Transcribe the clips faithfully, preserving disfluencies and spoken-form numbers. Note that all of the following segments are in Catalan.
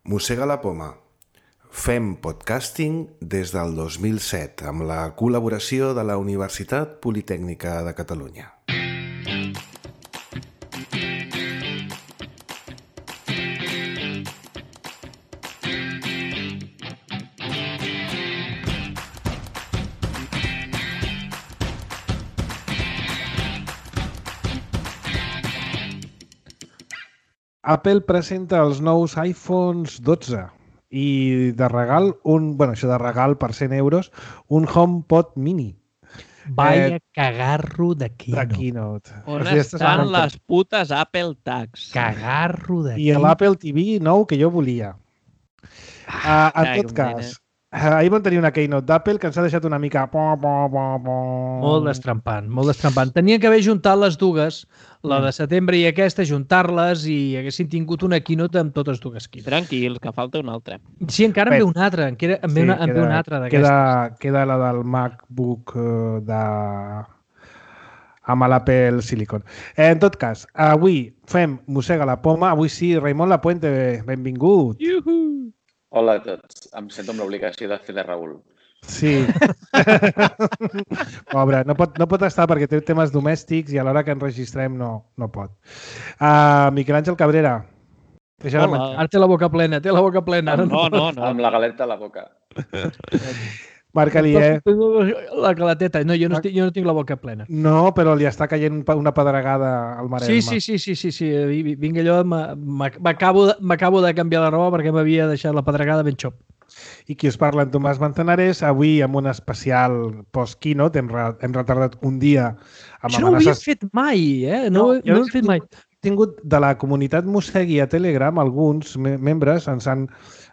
Mossega la poma. Fem podcasting des del dos mil set amb la col·laboració de la Universitat Politècnica de Catalunya. Apple presenta els nous iPhones dotze i de regal, un, bueno, això de regal per cent euros, un HomePod mini. Vaya eh, cagarro de Keynote. De Keynote. On o sigui, estan les putes Apple Tags? Cagarro de I l'Apple T V nou que jo volia. Ah, uh, en tot cas, ahir vam tenir una Keynote d'Apple que ens ha deixat una mica... Po, po, po, po. Molt destrempant, molt destrempant. Tenien que haver juntat les dues, la de setembre i aquesta, juntar-les i haguessin tingut una Keynote amb totes dues Keynote. Tranquils, que falta una altra. Sí, encara en ve una altra, en ve, sí, una, en ve una altra d'aquestes. Queda, queda la del MacBook de... amb l'Apple Silicon. Eh, en tot cas, avui fem Mossega la poma. Avui sí, Raimon Lapuente, benvingut. Iuhu! Hola a tots. Em sento amb l'obligació de fer de Raül. Sí. Pobre, no pot, no pot estar perquè té temes domèstics i a l'hora que enregistrem no, no pot. Uh, Miquel Àngel Cabrera. Hola. Ara té la boca plena, té la boca plena. No, no, no, no. Amb la galeta a la boca. Marc Alier. La galeteta. No, jo no, estic, jo no tinc la boca plena. No, però li està caient una pedregada al Maresme. Sí, sí, sí, sí, sí, sí. Vinc allò, m'acabo de canviar la roba perquè m'havia deixat la pedregada ben xop. I qui us parla, en Tomàs Manzanares, avui amb un especial post-keynote. Hem, re, hem retardat un dia amb Això no ho havíem fet mai, eh? No, no, no ho hem fet mai. Tingut de la comunitat Mossegui a Telegram, alguns me membres ens han,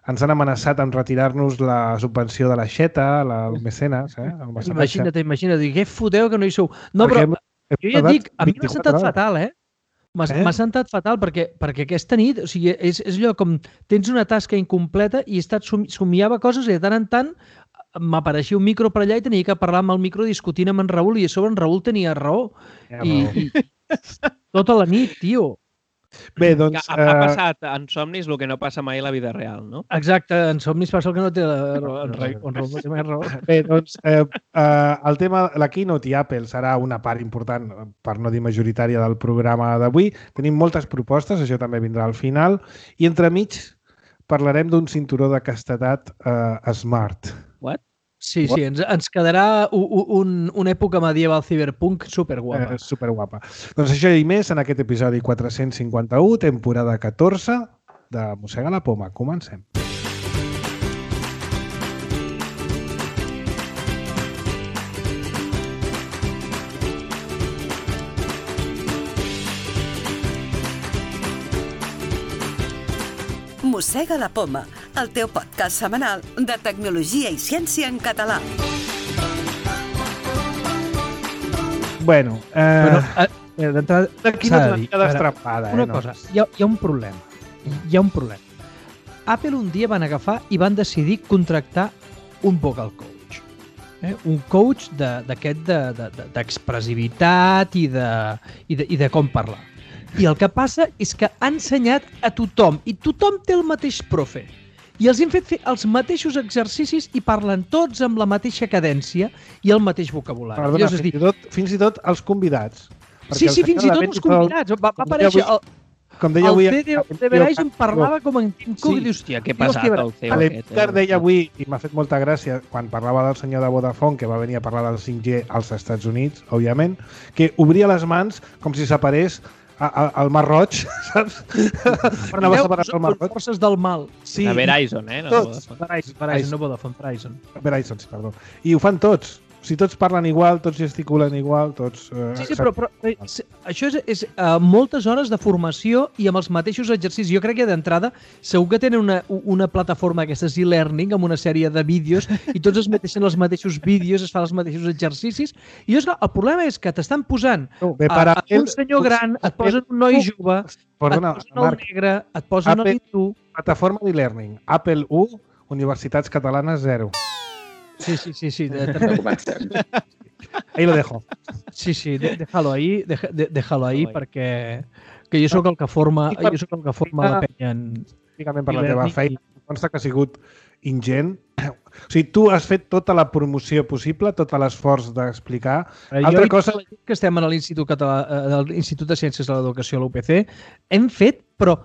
ens han amenaçat amb retirar-nos la subvenció de la Xeta, la, el mecenes. Eh? El imagina't, imagina't, què foteu que no hi sou. No, però hem, hem jo ja dic, a mi m'ha sentat hores. fatal, eh? M'ha eh? sentat fatal perquè, perquè aquesta nit, o sigui, és, és allò com tens una tasca incompleta i he estat som, somiava coses i de tant en tant m'apareixia un micro per allà i tenia que parlar amb el micro discutint amb en Raül i a sobre en Raül tenia raó. Ja, I, i tota la nit, tio. Bé, doncs... Ha, ha passat en somnis el que no passa mai a la vida real, no? Exacte, en somnis passa el que no té raó. En Raül no té mai raó. Bé, doncs, eh, eh, el tema, la Keynote i Apple serà una part important, per no dir majoritària, del programa d'avui. Tenim moltes propostes, això també vindrà al final. I entremig parlarem d'un cinturó de castedat eh, smart. What? Sí, sí, ens, ens quedarà un, un, una època medieval cyberpunk superguapa. Eh, superguapa. Doncs això i més en aquest episodi quatre-cents cinquanta-u, temporada catorze de Mossega la poma. Comencem. Mossega la poma, el teu podcast setmanal de tecnologia i ciència en català. Bueno, eh, Però, eh, d'entrada... Aquí no t'ha de destrapada, eh? Una no. cosa, hi ha, hi ha un problema. Hi ha un problema. Apple un dia van agafar i van decidir contractar un vocal coach. Eh? Un coach d'aquest d'expressivitat de, de, de, i, de, i, de, i de com parlar. I el que passa és que ha ensenyat a tothom, i tothom té el mateix profe. I els hem fet fer els mateixos exercicis i parlen tots amb la mateixa cadència i el mateix vocabulari. Perdona, fins, dir... i tot, fins i tot els convidats. Sí, sí, fins i tot els convidats. Va, va aparèixer... El, com deia avui... El C D Verizon parlava com en Tim Cook. Sí, hòstia, què passat el C E O aquest. L'Emcar deia avui, i m'ha fet molta gràcia, quan parlava del senyor de Vodafone, que va venir a parlar del cinc G als Estats Units, òbviament, que obria les mans com si s'aparés al Mar Roig, saps? Per anar a separar el Mar Roig. Forces del mal. Sí. A Verizon, eh? No tots. Verizon, Verizon, no Vodafone, Verizon. Verizon, sí, perdó. I ho fan tots. O sigui, tots parlen igual, tots gesticulen igual, tots... Eh, sí, sí, però, però eh, això és, és uh, moltes hores de formació i amb els mateixos exercicis. Jo crec que d'entrada segur que tenen una, una plataforma aquestes e-learning amb una sèrie de vídeos i tots es meteixen els mateixos vídeos, es fan els mateixos exercicis. I és, el problema és que t'estan posant no, bé, a, a un senyor gran, et posen un noi jove, perdona, et posen el negre, et posen el hindú... Plataforma d'e-learning. Apple u, Universitats Catalanes zero. Sí, sí, sí, sí. Ahí lo dejo. Sí, sí, déjalo ahí, déjalo ahí perquè que jo sóc el que forma, jo sóc el que forma la penya en, específicament per la teva feina. Em consta que ha sigut ingent. O sigui, tu has fet tota la promoció possible, tot l'esforç d'explicar. Altra cosa... que estem a l'Institut Català, a l'Institut de Ciències de l'Educació, l'U P C, hem fet, però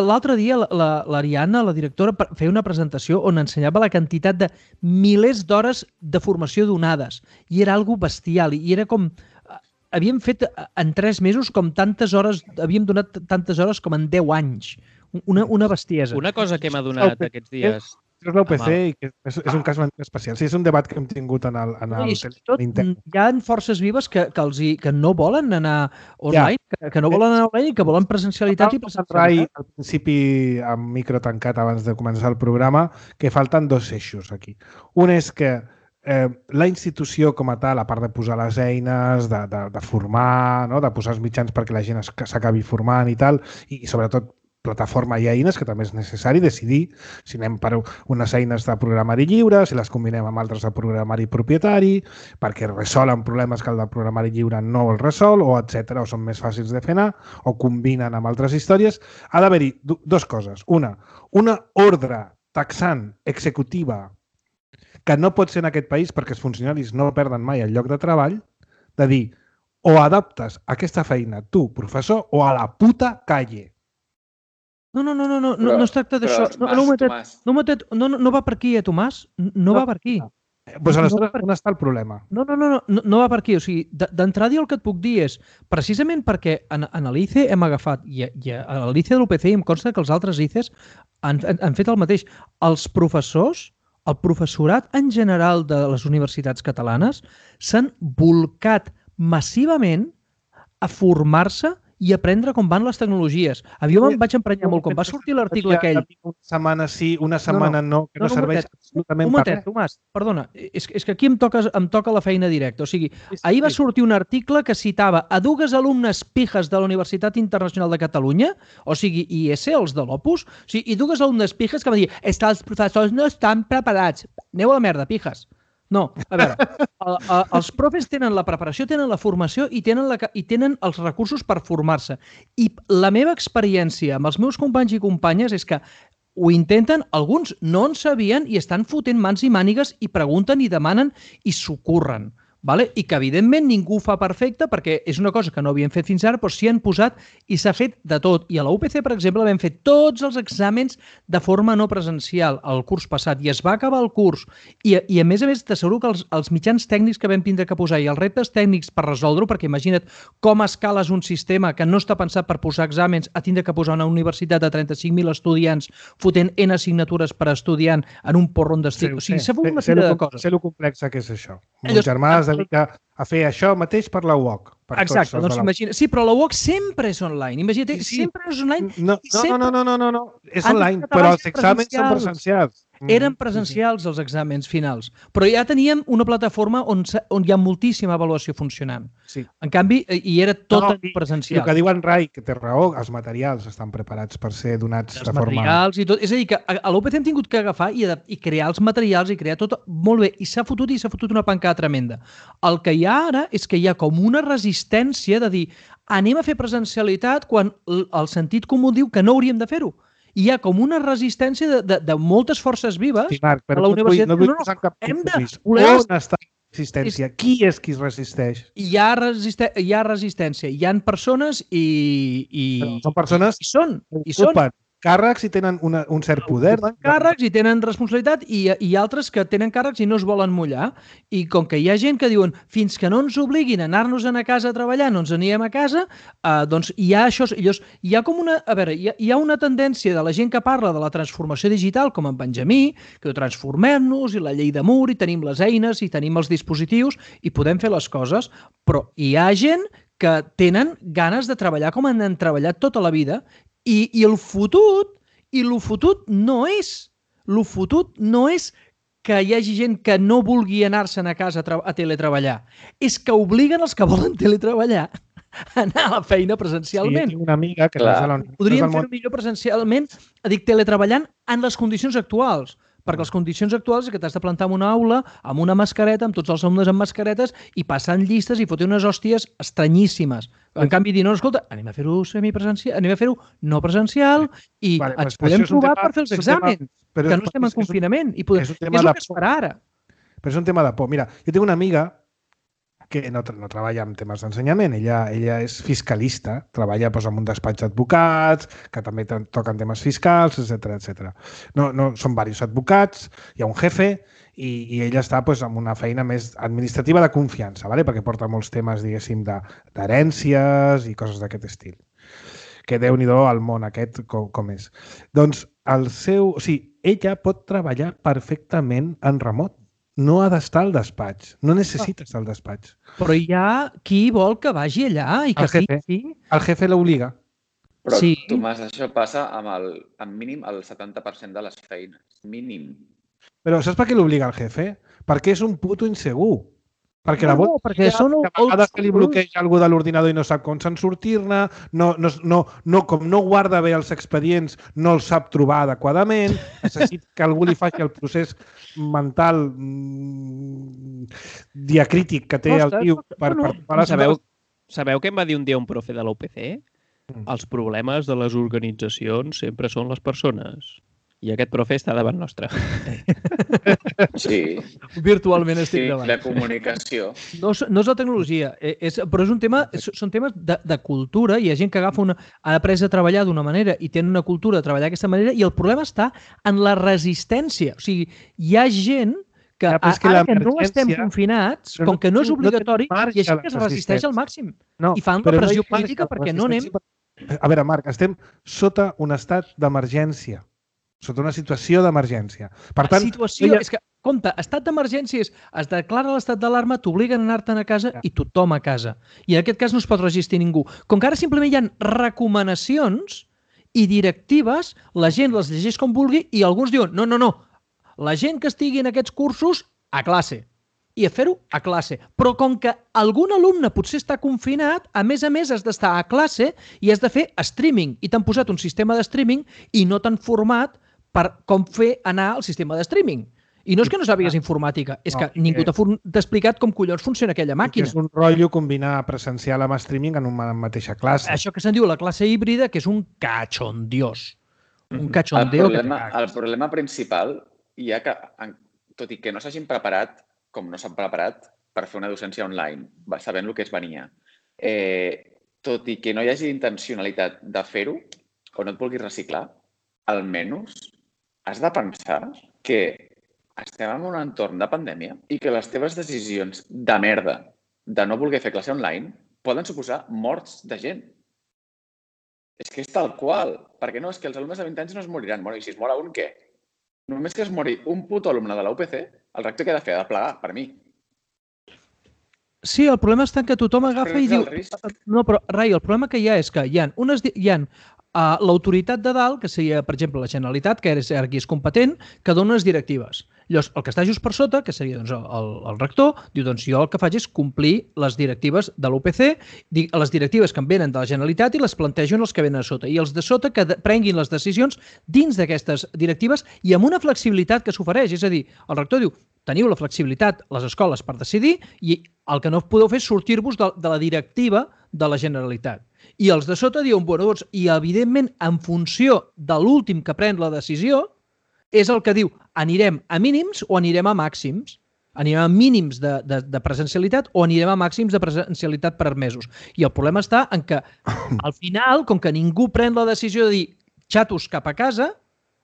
l'altre dia l'Ariadna, la directora, feia una presentació on ensenyava la quantitat de milers d'hores de formació donades i era algo bestial i era com... Havíem fet en tres mesos com tantes hores, havíem donat tantes hores com en deu anys. Una, una bestiesa. Una cosa que m'ha donat aquests dies... És l'U P C i que és, és un cas especial. Sí, és un debat que hem tingut en el, en el tot, hi ha forces vives que, que, els hi, que no volen anar online, ja. que, que no volen anar online i que volen presencialitat i presencialitat. Al principi, amb micro tancat abans de començar el programa, que falten dos eixos aquí. Un és que eh, la institució com a tal, a part de posar les eines, de, de, de formar, no? De posar els mitjans perquè la gent s'acabi formant i tal, i, i sobretot plataforma i eines, que també és necessari decidir si anem per unes eines de programari lliure, si les combinem amb altres de programari propietari, perquè resolen problemes que el de programari lliure no el resol, o etcètera, o són més fàcils de fer anar, o combinen amb altres històries. Ha d'haver-hi dues coses. Una, una ordre taxant executiva que no pot ser en aquest país perquè els funcionaris no perden mai el lloc de treball, de dir, o adaptes aquesta feina tu, professor, o a la puta calle. No, no, no, no, no, no, no es tracta d'això. No, no, no, no, no va per aquí, eh, Tomàs? No va per aquí. Doncs aleshores, on està el problema? No, no, no, no, no va per aquí. O sigui, d'entrada el que et puc dir és, precisament perquè en, en l'I C E hem agafat, i, i a l'I C E de l'U P C em consta que els altres I C Es han, han, han fet el mateix. Els professors, el professorat en general de les universitats catalanes s'han volcat massivament a formar-se i aprendre com van les tecnologies. A mi em vaig emprenyar molt. Quan va sortir l'article aquell... Una setmana sí, una setmana no, que no serveix absolutament per res. Tomàs, perdona, és, és que aquí em toca, em toca la feina directa. O sigui, ahir va sortir un article que citava a dues alumnes pijes de la Universitat Internacional de Catalunya, o sigui, I S, els de l'Opus, o sigui, i dues alumnes pijes que van dir és que els professors no estan preparats. Aneu a la merda, pijes. No, a veure, el, el, els profes tenen la preparació, tenen la formació i tenen, la, i tenen els recursos per formar-se. I la meva experiència amb els meus companys i companyes és que ho intenten, alguns no en sabien i estan fotent mans i mànigues i pregunten i demanen i s'ocorren. Vale? I que, evidentment, ningú ho fa perfecte perquè és una cosa que no havien fet fins ara, però s'hi han posat i s'ha fet de tot. I a la U P C, per exemple, vam fer tots els exàmens de forma no presencial el curs passat i es va acabar el curs. I, i a més a més, t'asseguro que els, els mitjans tècnics que vam tindre que posar i els reptes tècnics per resoldre-ho, perquè imagina't com escales un sistema que no està pensat per posar exàmens a tindre que posar una universitat de trenta-cinc mil estudiants fotent N assignatures per estudiant en un porron d'estil. O sigui, s'ha fet una sèrie de coses. Sé lo complexa que és això. Mon germà es dedica a fer això mateix per la U O C. Exacte, doncs imagina... Sí, però la U O C sempre és online. Imagina't, sí, sempre és online. No, no, no, no, no, no, no. És online, però els exàmens són presencials. Eren presencials els exàmens finals, però ja teníem una plataforma on, on hi ha moltíssima avaluació funcionant. Sí. En canvi, hi era tot no, presencial. El que diu en Rai, que té raó, els materials estan preparats per ser donats els de forma... Els materials i tot. És a dir, que a l'U P C hem tingut que agafar i, i crear els materials i crear tot molt bé. I s'ha fotut i s'ha fotut una pancada tremenda. El que hi ha ara és que hi ha com una resistència de dir anem a fer presencialitat quan el sentit comú diu que no hauríem de fer-ho. Hi ha com una resistència de, de, de moltes forces vives sí, Marc, a la universitat. No vull, no vull posar cap hem de... On està la resistència? Qui és qui es resisteix? Hi ha, resiste... hi ha resistència. Hi ha persones i... i... Són persones I són. I són. Càrrecs i tenen una, un cert poder. Tenen càrrecs i tenen responsabilitat i, i altres que tenen càrrecs i no es volen mullar. I com que hi ha gent que diuen fins que no ens obliguin a anar-nos a casa a treballar, no ens anirem a casa, eh, doncs hi ha això. Llavors, hi ha com una... A veure, hi ha, hi ha una tendència de la gent que parla de la transformació digital, com en Benjamí, que transformem-nos i la llei de Moore i tenim les eines i tenim els dispositius i podem fer les coses, però hi ha gent que tenen ganes de treballar com han treballat tota la vida. I, i el fotut, i el fotut no és, el fotut no és que hi hagi gent que no vulgui anar-se'n a casa a, a teletreballar. És que obliguen els que volen teletreballar a anar a la feina presencialment. Sí, una amiga que Clar. Podríem fer-ho millor presencialment, dic, teletreballant en les condicions actuals. perquè les condicions actuals és que t'has de plantar en una aula amb una mascareta, amb tots els alumnes amb mascaretes i passant llistes i fotre unes hòsties estranyíssimes. En canvi, dir, no, escolta, anem a fer-ho semipresencial, anem a fer-ho no presencial i vale, ens podem trobar per fer els exàmens, que no estem en confinament i podem... és, és el que es farà ara. Però és un tema de por. Mira, jo tinc una amiga que no, no treballa en temes d'ensenyament, ella, ella és fiscalista, treballa doncs, en un despatx d'advocats, que també toquen temes fiscals, etcètera, etcètera. No, no, són diversos advocats, hi ha un jefe i, i ella està doncs, en una feina més administrativa de confiança, ¿vale? Perquè porta molts temes, diguéssim, d'herències i coses d'aquest estil. Que Déu-n'hi-do al món aquest com, com és. Doncs el seu... O sigui, ella pot treballar perfectament en remot. No ha d'estar al despatx. No necessita estar al despatx. Però hi ha qui vol que vagi allà i que el jefe, sí. El jefe l'obliga. Però, sí. Tomàs, això passa amb el amb mínim el setanta per cent de les feines. Mínim. Però saps per què l'obliga el jefe? Perquè és un puto insegur. Perquè no, la no, perquè són a vegades que li bloqueja algú de l'ordinador i no sap com se'n sortir-ne, no, no, no, no, com no guarda bé els expedients, no els sap trobar adequadament, necessita que algú li faci el procés mental mmm, diacrític que té el tio per, per, per, per sabeu, sabeu què em va dir un dia un profe de la U P C? Mm. Els problemes de les organitzacions sempre són les persones. I aquest profe està davant nostre. Sí. Virtualment estic sí, davant. La comunicació. No, no és la tecnologia, és, però és un tema, són temes de, de cultura. Hi ha gent que agafa una, ha après a treballar d'una manera i tenen una cultura de treballar d'aquesta manera i el problema està en la resistència. O sigui, hi ha gent que, ja, que ara que no estem confinats, com que no és obligatori, no hi ha gent que es resisteix al màxim. No, i fan la pressió no política perquè no anem... A veure, Marc, estem sota un estat d'emergència. Sota una situació d'emergència. Per tant, situació, ella... és que, compte, estat d'emergència és, es declara l'estat d'alarma, t'obliguen a anar-te'n a casa ja. I tothom a casa. I en aquest cas no es pot resistir ningú. Com que ara simplement hi ha recomanacions i directives, la gent les llegeix com vulgui i alguns diuen, no, no, no, la gent que estigui en aquests cursos, a classe. I a fer-ho a classe. Però com que algun alumne potser està confinat, a més a més has d'estar a classe i has de fer streaming. I t'han posat un sistema de streaming i no t'han format per com fer anar el sistema de streaming. I no és que no sàpigues informàtica, és que ningú t'ha explicat com collons funciona aquella màquina. És un rotllo combinar presencial amb streaming en una mateixa classe. Això que se'n diu la classe híbrida, que és un cachondiós. Un cachondeo. El problema, el problema principal hi ha que, tot i que no s'hagin preparat, com no s'han preparat, per fer una docència online, sabent el que es venia, eh, tot i que no hi hagi intencionalitat de fer-ho, o no et vulguis reciclar, almenys has de pensar que estem en un entorn de pandèmia i que les teves decisions de merda de no voler fer classe online poden suposar morts de gent. És que és tal qual. Perquè no, és que els alumnes de vint anys no es moriran. Bueno, i si es mora un, què? Només que es mori un puto alumne de la U P C, el rector què ha de fer? Ha de plegar, per mi. Sí, el problema està que tothom agafa i diu... No, però, Rai, el problema que hi ha és que hi ha, unes, hi ha uh, l'autoritat de dalt, que seria, per exemple, la Generalitat, que és, aquí és competent, que dona unes directives. Llavors, el que està just per sota, que seria doncs, el, el rector, diu, doncs jo el que faig és complir les directives de l'U P C, les directives que em venen de la Generalitat i les plantejo en els que venen a sota. I els de sota que de, prenguin les decisions dins d'aquestes directives i amb una flexibilitat que s'ofereix. És a dir, el rector diu, teniu la flexibilitat, les escoles, per decidir i el que no podeu fer és sortir-vos de, de la directiva de la Generalitat. I els de sota diuen, bueno, doncs, i evidentment, en funció de l'últim que pren la decisió, és el que diu, anirem a mínims o anirem a màxims. Anirem a mínims de, de, de presencialitat o anirem a màxims de presencialitat per mesos. I el problema està en que, al final, com que ningú pren la decisió de dir xatos cap a casa,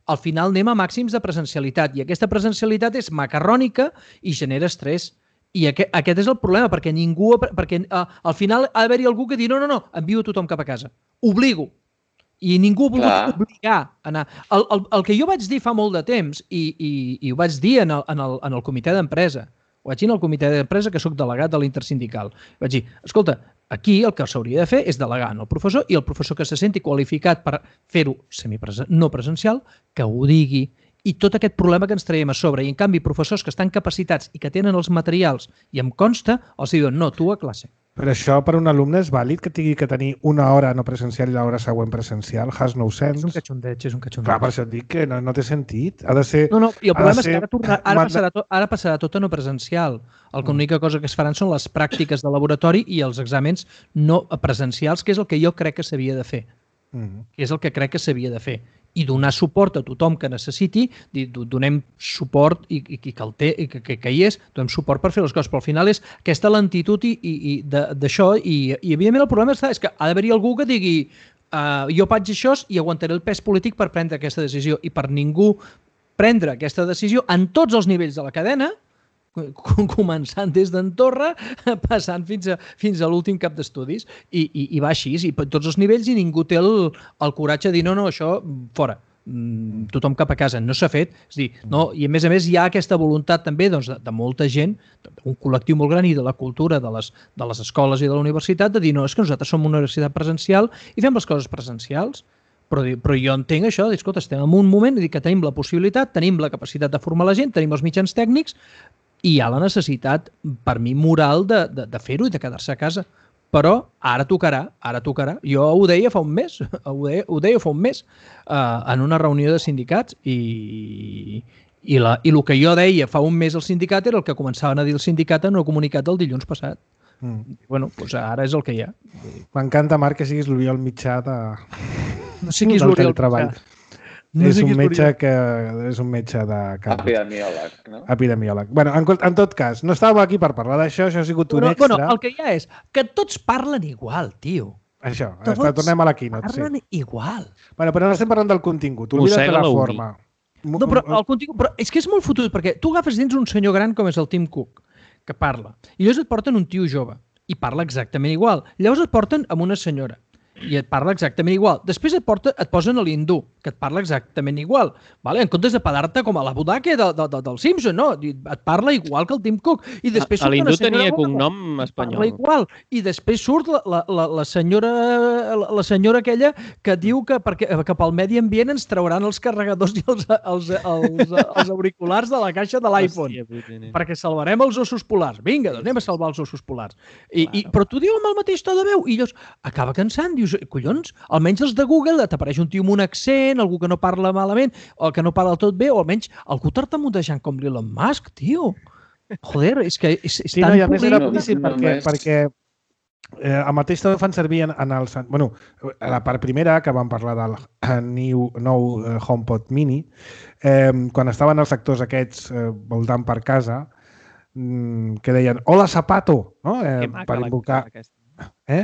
al final anem a màxims de presencialitat. I aquesta presencialitat és macarrònica i genera estrès. I aquest, aquest és el problema, perquè ningú... perquè uh, al final ha d'haver-hi algú que digui no, no, no, envio tothom cap a casa. Obligo. I ningú ha volgut Clar. obligar a anar. El, el, el que jo vaig dir fa molt de temps, i, i, i ho vaig dir en el, en el, en el comitè d'empresa, ho vaig dir en el comitè d'empresa, que sóc delegat de l'intersindical, vaig dir, escolta, aquí el que s'hauria de fer és delegar en el professor i el professor que se senti qualificat per fer-ho no presencial, que ho digui, i tot aquest problema que ens traiem a sobre. I en canvi, professors que estan capacitats i que tenen els materials i em consta, els diuen, no, tu a classe. Però això per un alumne és vàlid que tingui que tenir una hora no presencial i l'hora següent presencial? Has no sense. És un catxondeig, és un catxondeig. Clar, per això et dic que no, no té sentit. Ha de ser... No, no, i el problema és ser... que ara, torna, ara, passarà tot, ara passarà tot a no presencial. L'única cosa que es faran són les pràctiques de laboratori i els exàmens no presencials, que és el que jo crec que s'havia de fer. Mm. Que és el que crec que s'havia de fer. I donar suport a tothom que necessiti, donem suport i, i, i que el té, i que, que, que hi és, donem suport per fer les coses, però al final és aquesta lentitud i, i d'això, i, i evidentment el problema està, és que ha d'haver-hi algú que digui uh, jo faig això i aguantaré el pes polític per prendre aquesta decisió, i per ningú prendre aquesta decisió en tots els nivells de la cadena, començant des d'Andorra, passant fins a, fins a l'últim cap d'estudis, i, i, i va així, i per tots els nivells, i ningú té el, el coratge de dir no, no, això fora, mm, tothom cap a casa. No s'ha fet, és dir, no, i a més a més hi ha aquesta voluntat també doncs, de, de molta gent, un col·lectiu molt gran i de la cultura de les, de les escoles i de la universitat, de dir no, és que nosaltres som una universitat presencial i fem les coses presencials. Però, però jo entenc això, dir, escolta, estem en un moment que tenim la possibilitat, tenim la capacitat de formar la gent, tenim els mitjans tècnics, i hi ha la necessitat, per mi, moral de, de, de fer-ho i de quedar-se a casa. Però ara tocarà, ara tocarà. Jo ho deia fa un mes, ho deia, ho deia fa un mes, uh, en una reunió de sindicats, i, i, la, i el que jo deia fa un mes al sindicat era el que començaven a dir el sindicat en el comunicat del dilluns passat. Mm. Bueno, doncs ara és el que hi ha. M'encanta, Marc, que siguis l'Oriol Mitjà de... No sé qui és l'Oriol Mitjà. No és, un metge que, és un metge de... Epidemiòleg, no? Epidemiòleg. Bueno, en, en tot cas, no estàvem aquí per parlar d'això, això ha sigut un bueno, extra. Bueno, el que hi ha és que tots parlen igual, tio. Això, tots tornem a la keynote. Parlen sí. igual. Bueno, però no estem parlant del contingut, oblida't de la forma. No, però el contingut... Però és que és molt fotut, perquè tu agafes dins un senyor gran com és el Tim Cook, que parla, i llavors et porten un tio jove, i parla exactament igual. Llavors et porten amb una senyora, i et parla exactament igual. Després et, porta, et posen a l'hindú, que et parla exactament igual. Vale? En comptes de pedar-te com a la Budake de, de, de, del Simpson, no? Et parla igual que el Tim Cook. I després surt l'hindú tenia cognom espanyol. Parla igual. I després surt la, la, la, la, senyora, la, la senyora aquella que diu que, perquè, que pel medi ambient ens trauran els carregadors i els, els, els, els auriculars de la caixa de l'iPhone. Perquè salvarem els ossos polars. Vinga, doncs anem a salvar els ossos polars. I, i, però tu diu amb el mateix to de veu. I llavors acaba cansant. Dius, collons, almenys els de Google t'apareix un tio amb un accent, algú que no parla malament, o que no parla tot bé, o almenys algú tartamudejant com l'Elon Musk, tio. Joder, és que és, és sí, tan... Sí, no, i a més era no, boníssim no, perquè, no perquè eh, el mateix també fan servir en, en els... Bueno, a la part primera, que vam parlar del new, nou uh, HomePod Mini, eh, quan estaven els actors aquests eh, voltant per casa, mm, que deien, hola, zapato, no? Eh, per invocar... Eh?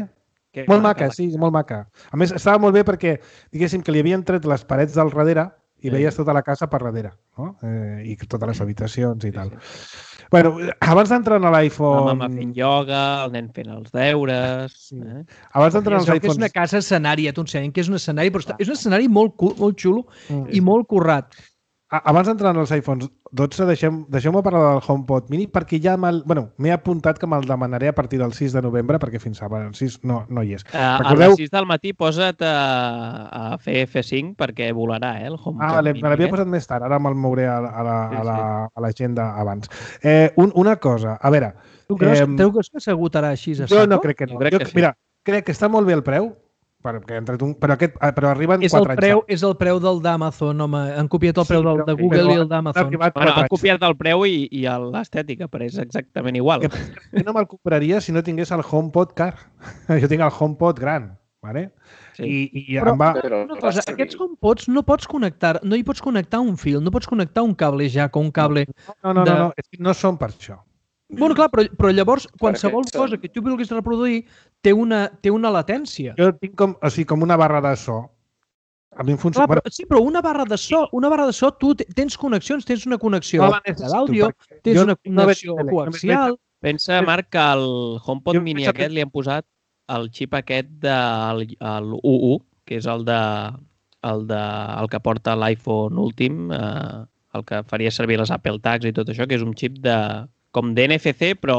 Que molt maca, maca, sí, molt maca. A més, estava molt bé perquè, diguéssim, que li havien tret les parets del darrere i sí. Veies tota la casa per darrere, no? Eh, i totes les habitacions i tal. Sí. Bueno, abans d'entrar en l'iPhone... La mama fent ioga, el nen fent els deures... Sí. Eh? Abans d'entrar en els iPhones... És una casa escenari, ja t'ho ensenyen, que és un escenari, però és un escenari molt, molt xulo mm. i molt currat. Abans d'entrar en els iPhones dotze, deixem, deixeu-me parlar del HomePod Mini perquè ja m'he bueno, apuntat que me'l demanaré a partir del sis de novembre perquè fins ara el sis no, no hi és. Uh, Recordeu... A les sis del matí posa't a, a fer F cinc perquè volarà, eh, el HomePod ah, vale, Mini. Me l'havia posat més tard, ara me'l mouré a, a, la, sí, a, la, a l'agenda abans. Eh, un, una cosa, a veure... Tu creus, eh, tu creus que s'agotarà així a saco? Jo no crec que no. Jo crec jo, que sí. Mira, crec que està molt bé el preu, perquè entre tu, però, aquest, però arriben és quatre el preu, anys. És el preu del d'Amazon, home. Han copiat el preu sí, del, de Google i el d'Amazon. Bueno, han copiat el preu i, i l'estètica, però és exactament igual. Jo no me'l compraria si no tingués el HomePod car. Jo tinc el HomePod gran, ¿vale? Sí. I, i però, em va... una cosa, aquests HomePods no pots connectar, no hi pots connectar un fil, no pots connectar un cable jack o un cable... No, no, no, de... no, no, no són per això. Bueno, clar, però, però llavors qualsevol cosa que tu vulguis reproduir té una, té una latència. Jo tinc com, o sigui, com una barra de so. A mi em funciona... Clar, però, sí, però una barra de so, una barra de so, tu tens connexions, tens una connexió no d'àudio, tens una connexió no coaxial... Pensa, Marc, que al HomePod jo Mini aquest li han posat el xip aquest del U U, que és el, de, el, de, el que porta l'iPhone últim, eh, el que faria servir les Apple Tags i tot això, que és un xip de... com d'N F C, però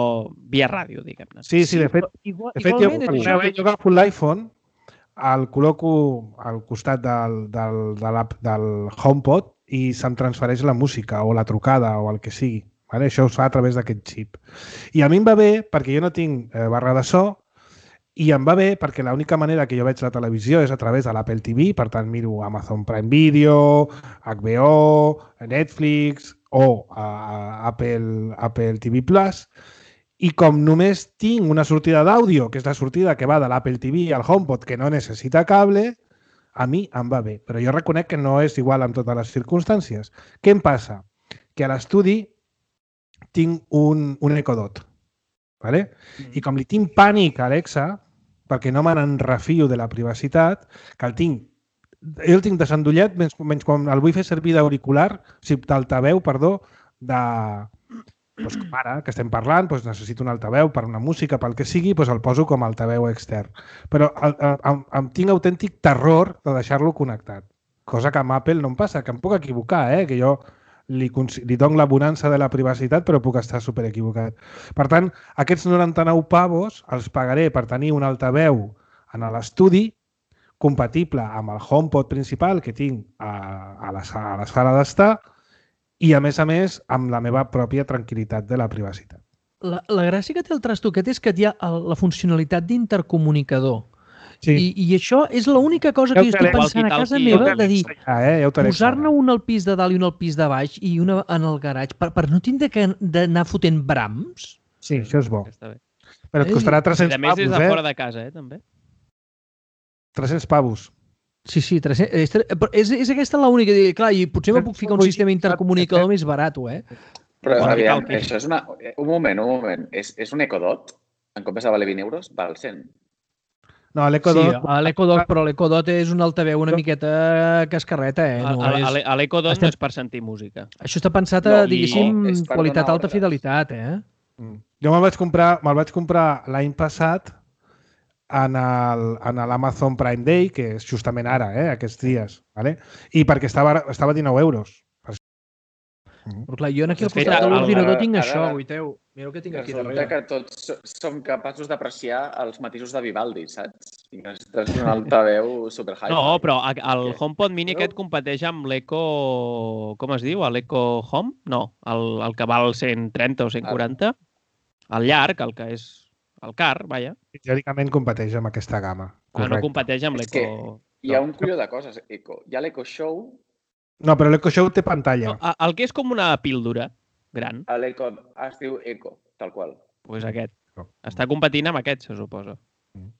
via ràdio, diguem-ne. Sí, sí, de fet, Igual, de fet jo, jo, jo agafo l'iPhone, el col·loco al costat del, del, de l'app del HomePod i se'm transfereix la música o la trucada o el que sigui. Vale? Això es fa a través d'aquest xip. I a mi em va bé perquè jo no tinc eh, barra de so I em va bé perquè l'única manera que jo veig la televisió és a través de l'Apple T V, per tant miro Amazon Prime Video, H B O, Netflix o uh, Apple, Apple T V Plus, i com només tinc una sortida d'àudio, que és la sortida que va de l'Apple T V al HomePod, que no necessita cable, a mi em va bé. Però jo reconec que no és igual en totes les circumstàncies. Què em passa? Que a l'estudi tinc un, un Echo Dot. ¿Vale? Mm. I com li tinc pànic a Alexa, perquè no me n'enrefio de la privacitat, que el tinc, jo el tinc desendollat, menys, menys quan el vull fer servir d'auricular, o sigui, d'altaveu, perdó, de... Doncs com ara, que estem parlant, doncs necessito un altaveu per una música, pel que sigui, doncs el poso com a altaveu extern. Però el, el, el, em tinc autèntic terror de deixar-lo connectat, cosa que amb Apple no em passa, que em puc equivocar, eh? Que jo li, li dono la bonança de la privacitat, però puc estar super equivocat. Per tant, aquests noranta-nou pavos els pagaré per tenir un altaveu en l'estudi compatible amb el HomePod principal que tinc a, a, la, a la sala d'estar i, a més a més, amb la meva pròpia tranquil·litat de la privacitat. La, la gràcia que té el trastoquet és que hi ha la funcionalitat d'intercomunicador. Sí. I, I això és l'única cosa que jo estic pensant a casa meva de dir, eh? ja posar-ne un al pis de dalt i un al pis de baix i una en el garatge per, per no tindre d'anar fotent brams. Sí, això és bo. Però et costarà tres-cents pavos, eh? A més és de fora de casa, eh, també. tres-cents pavos. Sí, sí, tres-cents, és, és aquesta l'única. Clar, i potser me puc ficar un sistema intercomunicador més barat, eh? Però, aviam, això és una... Un moment, un moment. És, és un Echo Dot? En comptes de valer vint euros, val cent. No, l'Echo Dot... Sí, l'Echo Dot, però l'Echo Dot és un altaveu una miqueta cascarreta, eh? No, l'Echo Dot no és per sentir música. Això està pensat a, diguéssim, qualitat alta fidelitat, eh? Jo me'l vaig comprar, me'l vaig comprar l'any passat en l'Amazon Prime Day, que és justament ara, eh, aquests dies, ¿vale? I perquè estava, estava a dinou euros. Però clar, jo aquí al costat de l'ordinador tinc això, Guiteu. Mira el que tinc aquí darrere. Resulta que tots som capaços d'apreciar els matisos de Vivaldi, saps? I estàs un altaveu super high. No, però el HomePod Mini aquest competeix amb l'Echo... Com es diu? L'Echo Home? No, el, el que val cent trenta o cent quaranta. El llarg, el que és el car, vaja. Teòricament competeix amb aquesta gamma. Ah, no competeix amb l'Echo... Hi ha un colló de coses, Echo. Hi ha l'Echo Show... No, però l'Echo Show té pantalla. No, el que és com una píldora gran. L'Echo es diu Echo, tal qual. Doncs pues aquest. Està competint amb aquest, se suposa. Mm.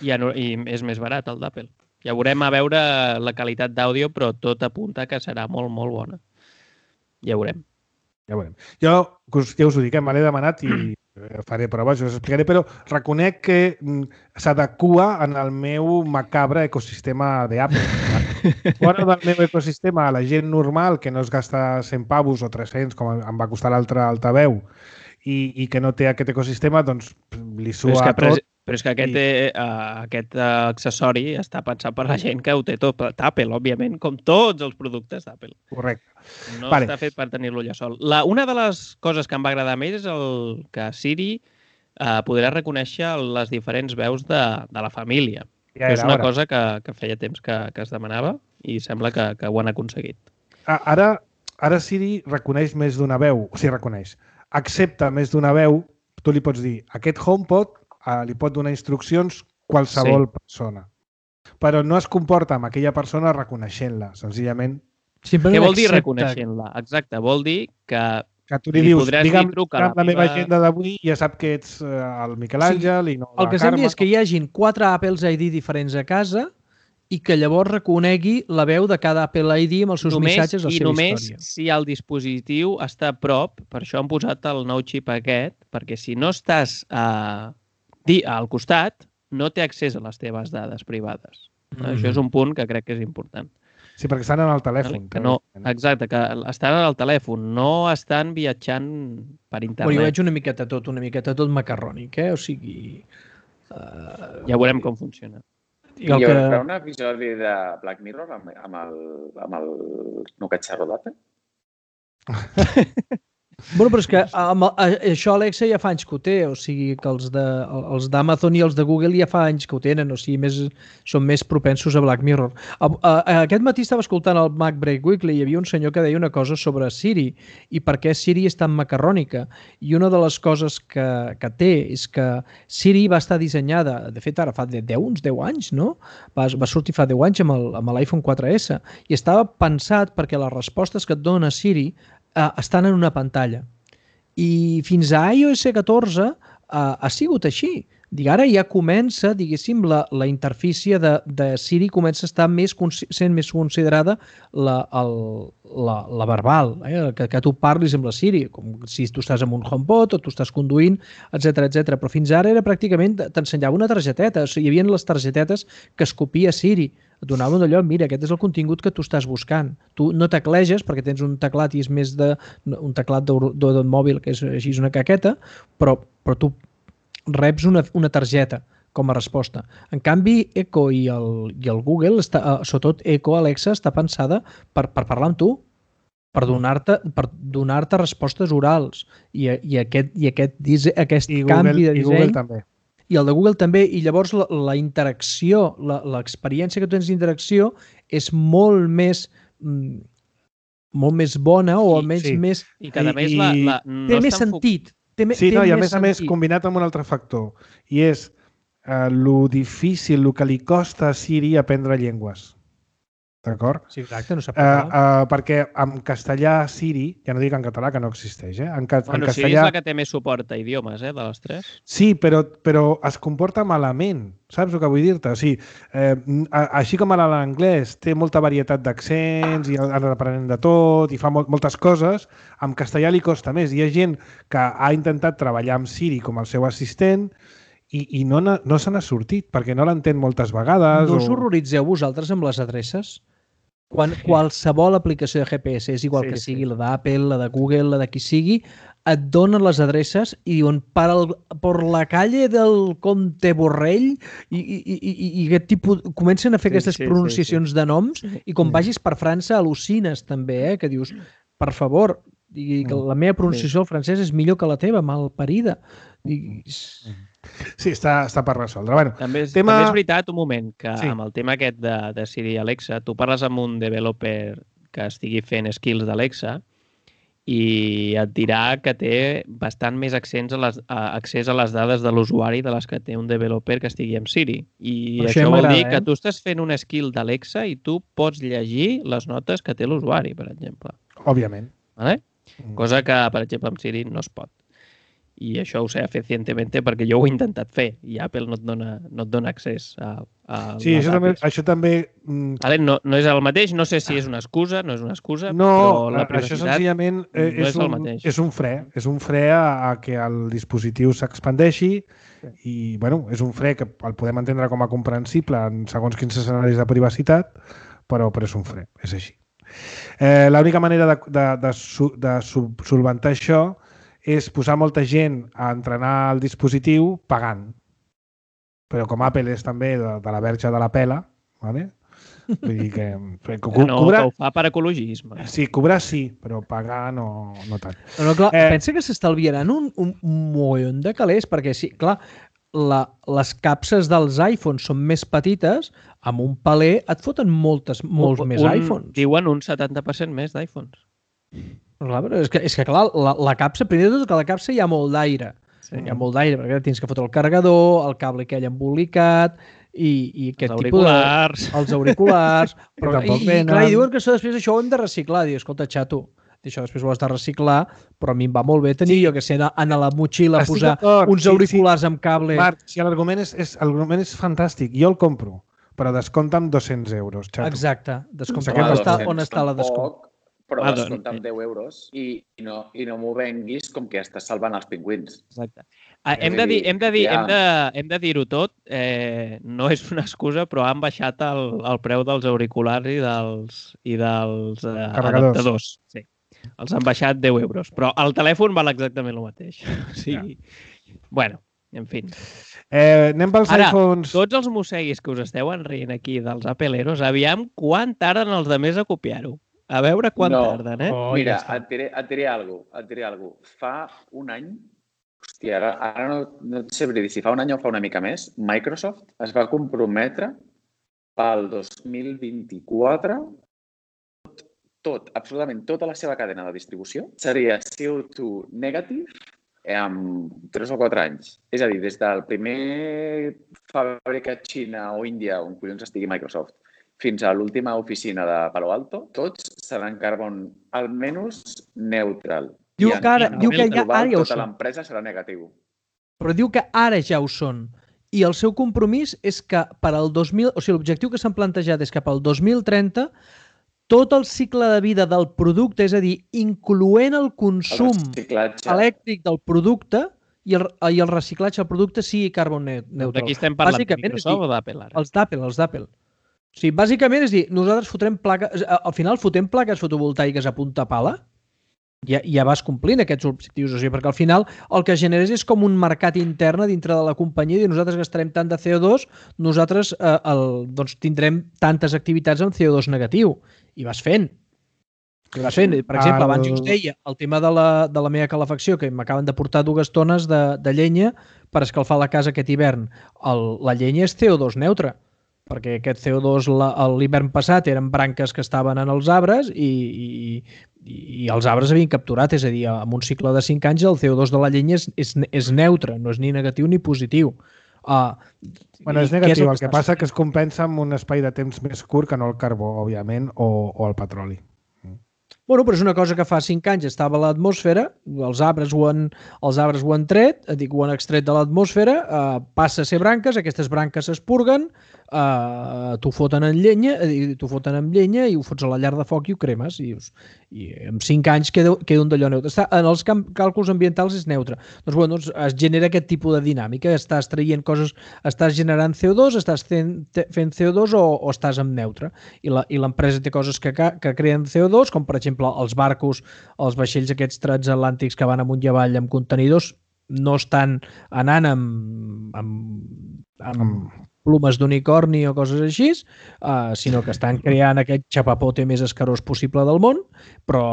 I, I és més barat, el d'Apple. Ja veurem a veure la qualitat d'àudio, però tot apunta que serà molt, molt bona. Ja veurem. Ja veurem. Jo, ja us ho dic, me l'he demanat i faré proves, us explicaré, però reconec que s'adequa en el meu macabre ecosistema d'Apple. Fora del meu ecosistema, la gent normal que no es gasta cent pavos o tres-cents, com em va costar l'altre altaveu, i, i que no té aquest ecosistema, doncs li sua però tot. És, però és que aquest, i... uh, aquest uh, accessori està pensat per la gent que ho té tot d'Apple, òbviament, com tots els productes d'Apple. Correcte. No vale. Està fet per tenir-lo allà sol. La, una de les coses que em va agradar més és el que Siri uh, podrà reconèixer les diferents veus de, de la família. Ja és una hora. cosa que, que feia temps que, que es demanava i sembla que, que ho han aconseguit. Ara, ara Siri reconeix més d'una veu, o sigui, reconeix. Accepta més d'una veu, tu li pots dir, aquest HomePod eh, li pot donar instruccions qualsevol sí. persona. Però no es comporta amb aquella persona reconeixent-la, senzillament. Simplement Què vol dir reconeixent-la? Exacte, vol dir que... Que tu li, li dius, digue'm la, la meva agenda d'avui, ja sap que ets uh, el Miquel Àngel sí. i no el la que Carme. És que hi hagin quatre Apples I D diferents a casa i que llavors reconegui la veu de cada Apple I D amb els seus només, missatges o la seva història. I només si el dispositiu està a prop, per això han posat el nou xip aquest, perquè si no estàs uh, al costat, no té accés a les teves dades privades. Mm. Això és un punt que crec que és important. Sí, perquè estan en el telèfon. Que no, exacte, que estan en el telèfon, no estan viatjant per internet. Bueno, jo veig una miqueta tot, una miqueta tot macarrònic, eh? O sigui... Uh... Ja veurem com funciona. I hi haurà que... un episodi de Black Mirror amb, amb el, amb el no catxarro d'Apple? Bueno, però és que amb, això Alexa ja fa anys que ho té, o sigui que els de, els d'Amazon i els de Google ja fa anys que ho tenen, o sigui, més, són més propensos a Black Mirror. A, a, a, aquest matí estava escoltant el Mac Break Weekly i hi havia un senyor que deia una cosa sobre Siri i per què Siri és tan macarrònica. I una de les coses que, que té és que Siri va estar dissenyada, de fet ara fa deu, uns deu anys, no? Va, va sortir fa deu anys amb l'iPhone quatre essa i estava pensat perquè les respostes que et dona Siri Uh, estan en una pantalla. I fins a iOS catorze uh, ha sigut així. Dic, ara ja comença, diguéssim, la, la interfície de, de Siri comença a estar més, sent més considerada la, el, la, la verbal, eh? que, que tu parlis amb la Siri, com si tu estàs amb un HomePod o tu estàs conduint, etcètera etcètera. Però fins ara era pràcticament, t'ensenyava una targeteta, o sigui, hi havia les targetetes que es copia Siri, et donaven d'allò, mira, aquest és el contingut que tu estàs buscant. Tu no tecleges perquè tens un teclat i és més de un teclat de mòbil que és així una caqueta, però, però tu reps una, una targeta com a resposta. En canvi, Echo i el, i el Google, està, sobretot Echo, Alexa, està pensada per, per parlar amb tu, per donar-te per donar-te respostes orals. I, i aquest, i aquest, aquest I canvi Google, de disseny... I Google també. I el de Google també, i llavors la, la interacció, l'experiència que tu tens d'interacció és molt més mm, molt més bona o almenys sí. més... I cada més la, la, no té més sentit. Té, sí, té no, i a més més a més combinat amb un altre factor, i és eh, lo difícil, lo que li costa a Siri aprendre llengües. D'acord? Sí, exacte, no sap uh, uh, perquè en castellà Siri, ja no dic en català, que no existeix, eh? En, ca bueno, en castellà... Siri és la que té més suport a idiomes, eh, de les tres. Sí, però, però es comporta malament, saps el que vull dir-te? O sigui, eh, així com ara l'anglès té molta varietat d'accents i han aprenent de tot i fa mol moltes coses, en castellà li costa més. Hi ha gent que ha intentat treballar amb Siri com el seu assistent i, i no, no se n'ha sortit, perquè no l'entén moltes vegades. No us o... horroritzeu vosaltres amb les adreces? Quan qualsevol aplicació de G P S, és igual sí, que sigui sí. la d'Apple, la de Google, la de qui sigui, et donen les adreces i diuen per, el, per la calle del Comte Borrell i, i, i, i aquest tipus... Comencen a fer sí, aquestes sí, pronunciacions sí, sí. de noms i quan vagis per França al·lucines també, eh? Que dius, per favor, i que la meva pronunciació al francès és millor que la teva, malparida. I... Sí, està, està per resoldre. Bueno, també, és, tema... també és veritat, un moment, que sí. amb el tema aquest de, de Siri i Alexa, tu parles amb un developer que estigui fent skills d'Alexa i et dirà que té bastant més accés a les, a, accés a les dades de l'usuari de les que té un developer que estigui amb Siri. I per això, això vol dir eh? que tu estàs fent un skill d'Alexa i tu pots llegir les notes que té l'usuari, per exemple. Òbviament. Vale? Cosa que, per exemple, amb Siri no es pot. I això ho sé fehacientment perquè jo ho he intentat fer i Apple no et dona, no et dona accés a, a sí, això també, això també... Vale, no, no és el mateix, no sé si és una excusa, no és una excusa, no, però la això senzillament no és, és el un, mateix. És un fre, és un fre a, a que el dispositiu s'expandeixi sí. I, bueno, és un fre que el podem entendre com a comprensible en segons quins escenaris de privacitat, però, però és un fre, és així. Eh, L'única manera de, de, de, de, de solventar això és posar molta gent a entrenar el dispositiu pagant. Però com Apple és també de, de la verge de la pela, ¿vale? Vull dir que... que co no, cobrar... que ho fa per ecologisme. Sí, cobrar sí, però pagar no, no tant. No, no, clar, eh... pensa que s'estalviaran un, un mogollon de calés, perquè sí, clar, la, les capses dels iPhones són més petites, amb un paler et foten moltes, molts un, més iPhones. Diuen un setanta per cent més d'iPhones. Clar, és, que, és que clar, la, la capsa, primer de tot que la capsa hi ha molt d'aire. Sí. Hi ha molt d'aire, perquè tens que fotre el carregador, el cable aquell embolicat i, i aquest els auriculars. Tipus de... Els auriculars. Però, i, i, clar, i diuen que això després això ho hem de reciclar. Diu, escolta, xato, això després ho has de reciclar, però a mi em va molt bé tenir, sí. jo que sé, anar a la motxilla a posar uns sí, auriculars sí. amb cable. Marc, si l'argument és, és, és fantàstic, jo el compro, però descompta'm dos-cents euros, xato. Exacte, descompta. On, està, on està la descompta? Però ah, descompta amb deu euros i, i no, i no m'ho venguis com que estàs salvant els pingüins. Exacte. Ah, hem de dir, hem de dir, ja. hem de, hem de dir-ho tot, eh, no és una excusa, però han baixat el, el preu dels auriculars i dels, i dels eh, adaptadors. Sí. Els han baixat deu euros, però el telèfon val exactament el mateix. O sigui, ja. Bueno, en fi. Eh, anem pels Ara, iPhones. Tots els mosseguis que us esteu enrient aquí dels Appleeros, aviam quan tarden els de més a copiar-ho. A veure quan no. tarden, eh? Oh, Mira, ja et diré, et diré alguna cosa. Et diré alguna cosa. Fa un any, hòstia, ara, ara no, no et sabré dir si fa un any o fa una mica més, Microsoft es va comprometre pel dos mil vint-i-quatre tot, tot, absolutament tota la seva cadena de distribució seria C O dos negative en tres o quatre anys. És a dir, des del primer fàbrica a Xina o Índia, on collons estigui Microsoft, fins a l'última oficina de Palo Alto, tots seran carbon almenys neutral. Diu que ara, diu que ja, global, ara ja ho tota són. l'empresa serà negatiu. Però diu que ara ja ho són. I el seu compromís és que per al dos mil... O sigui, l'objectiu que s'han plantejat és que pel dos mil trenta tot el cicle de vida del producte, és a dir, incloent el consum el elèctric del producte i el, i el reciclatge del producte sigui carbon neutral. D'aquí estem parlant de Microsoft o d'Apple ara? Els d'Apple, els d'Apple. O sigui, bàsicament és dir, nosaltres fotrem plaques... Al final fotem plaques fotovoltaiques a punta pala, ja, ja vas complint aquests objectius, o sigui, perquè al final el que generes és com un mercat intern dintre de la companyia i nosaltres gastarem tant de C O dos, nosaltres eh, el, doncs, tindrem tantes activitats amb C O dos negatiu. I vas fent. I vas fent. Per exemple, abans jo us deia el tema de la, de la meva calefacció, que m'acaben de portar dues tones de, de llenya per escalfar la casa aquest hivern. El, la llenya és C O dos neutra, perquè aquest C O dos l'hivern passat eren branques que estaven en els arbres i, i, i els arbres havien capturat, és a dir, amb un cicle de cinc anys el C O dos de la llenya és, és, és neutre, no és ni negatiu ni positiu. Uh, bueno, és negatiu, el que, el que passa que es compensa amb un espai de temps més curt que no el carbó, òbviament, o, o el petroli. Bueno, però és una cosa que fa cinc anys estava a l'atmosfera, els arbres ho han, els arbres ho han tret, dic, ho han extret de l'atmosfera, uh, passa a ser branques, aquestes branques s'espurguen, uh, t'ho foten en llenya, t'ho foten amb llenya i ho fots a la llar de foc i ho cremes. I, i en cinc anys queda, queda un d'allò neutre. Està, en els càlculs ambientals és neutre. Doncs, bueno, doncs es genera aquest tipus de dinàmica, estàs traient coses, estàs generant C O dos, estàs fent, fent C O dos o, o estàs en neutre. I l'empresa té coses que, que creen C O dos, com per exemple els barcos, els vaixells aquests transatlàntics que van amunt i avall amb contenidors, no estan anant amb, amb, amb plomes d'unicorni o coses així, uh, sinó que estan creant aquest xapapote més escarós possible del món, però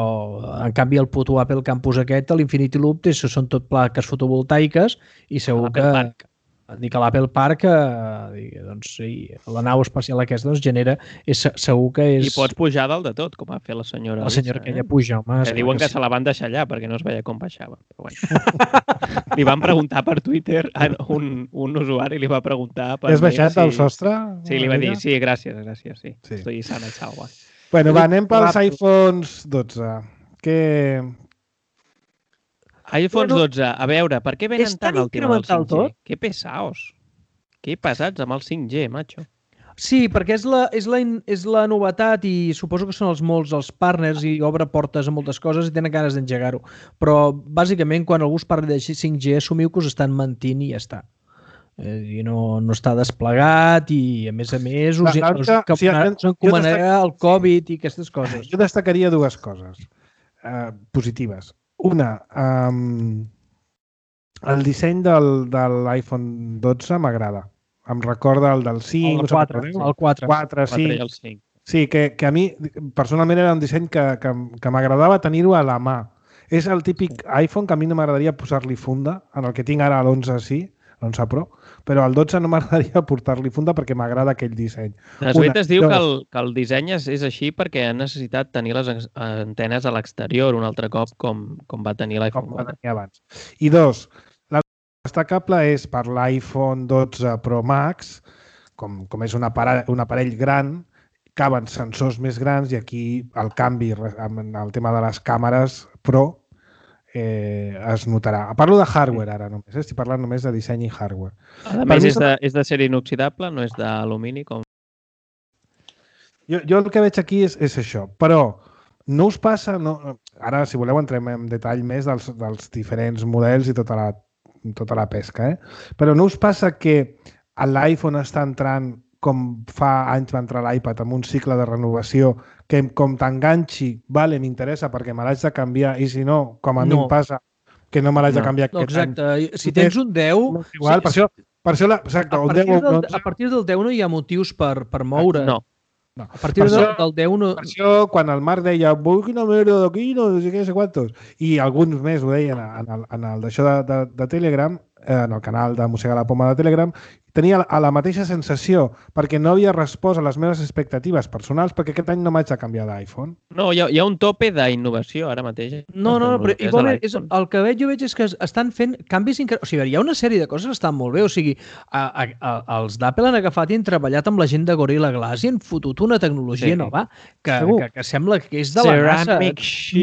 en canvi el puto Apple Campus aquest, l'Infinity Loop, són tot plaques fotovoltaiques i segur que... Dic que l'Apple Park, eh, doncs, sí, la nau espacial aquesta doncs, genera, és, segur que és... I pots pujar dalt de tot, com ha fet la senyora. La senyora que ella puja, home. Que diuen que, que sí. Se la van deixar allà perquè no es veia com baixava. Però bueno. Li van preguntar per Twitter, un, un usuari li va preguntar... Per has baixat si... del sostre? Sí, li va dir, sí, gràcies, gràcies, sí. sí. Estoy sana, salva. Bueno, va, anem pels iPhones dotze. Què... iPhone bueno, dotze, a veure, per què venen tant el tema del cinc G? Tot? Que pesaos. Que pesats amb el cinc G, macho. Sí, perquè és la, és, la, és la novetat i suposo que són els molts els partners i obre portes a moltes coses i tenen ganes d'engegar-ho. Però, bàsicament, quan algú es parla de cinc G, assumiu que us estan mentint i ja està. Eh, I no, no està desplegat i, a més a més, us, us, us, us, sí, us encomanarà el Covid i aquestes coses. Jo destacaria dues coses eh, positives. Una, um, el disseny del, de l'iPhone dotze m'agrada. Em recorda el del cinc. El quatre. El quatre. quatre, sí. el cinc. Sí, que, que a mi, personalment, era un disseny que, que, que m'agradava tenir-ho a la mà. És el típic iPhone que a mi no m'agradaria posar-li funda, en el que tinc ara l'onze sí, l'onze Pro, però al dotze no m'agradaria portar-li funda perquè m'agrada aquell disseny. Desvet es diu que el, que el disseny és, és així perquè han necessitat tenir les antenes a l'exterior un altre cop com, com va tenir l'iPhone quatre. Abans. I dos, la destacable és per l'iPhone dotze Pro Max, com, com és un aparell, un aparell gran, caben sensors més grans i aquí el canvi amb el tema de les càmeres Pro Eh, es notarà. Parlo de hardware ara només, eh? Estic parlant només de disseny i hardware. A més, és de, és de ser inoxidable, no és d'alumini com... Jo, jo el que veig aquí és, és això, però no us passa... No... Ara, si voleu, entrem en detall més dels, dels diferents models i tota la, tota la pesca, eh? Però no us passa que l'iPhone està entrant com fa anys va entrar l'iPad amb un cicle de renovació que com t'enganxi, vale, m'interessa perquè me l'haig de canviar i si no, com a mi no. em passa, que no me l'haig no. de canviar aquest exacte. any. Si tens un deu... No, igual, sí, per això, per això la, exacte, a, un partir deu, del, no... a partir del deu no hi ha motius per, per moure. No. No. A partir per del, això, del deu... No... Per això, quan el Marc deia vull quina merda d'aquí, no sé què, no sé quantos, i alguns més ho deien en el, en el d'això de, de, de Telegram, eh, en el canal de Mossegar la Poma de Telegram, tenia la, la mateixa sensació, perquè no havia respost a les meves expectatives personals, perquè aquest any no m'haig de canviar d'iPhone. No, hi ha, hi ha un tope d'innovació ara mateix. No, no, no, però igualment és, el que veig, jo veig és que estan fent canvis increïbles. O sigui, hi ha una sèrie de coses que estan molt bé. O sigui, a, a, a, els d'Apple han agafat i han treballat amb la gent de Gorilla Glass i han fotut una tecnologia sí. nova que, que, que sembla que és de la NASA.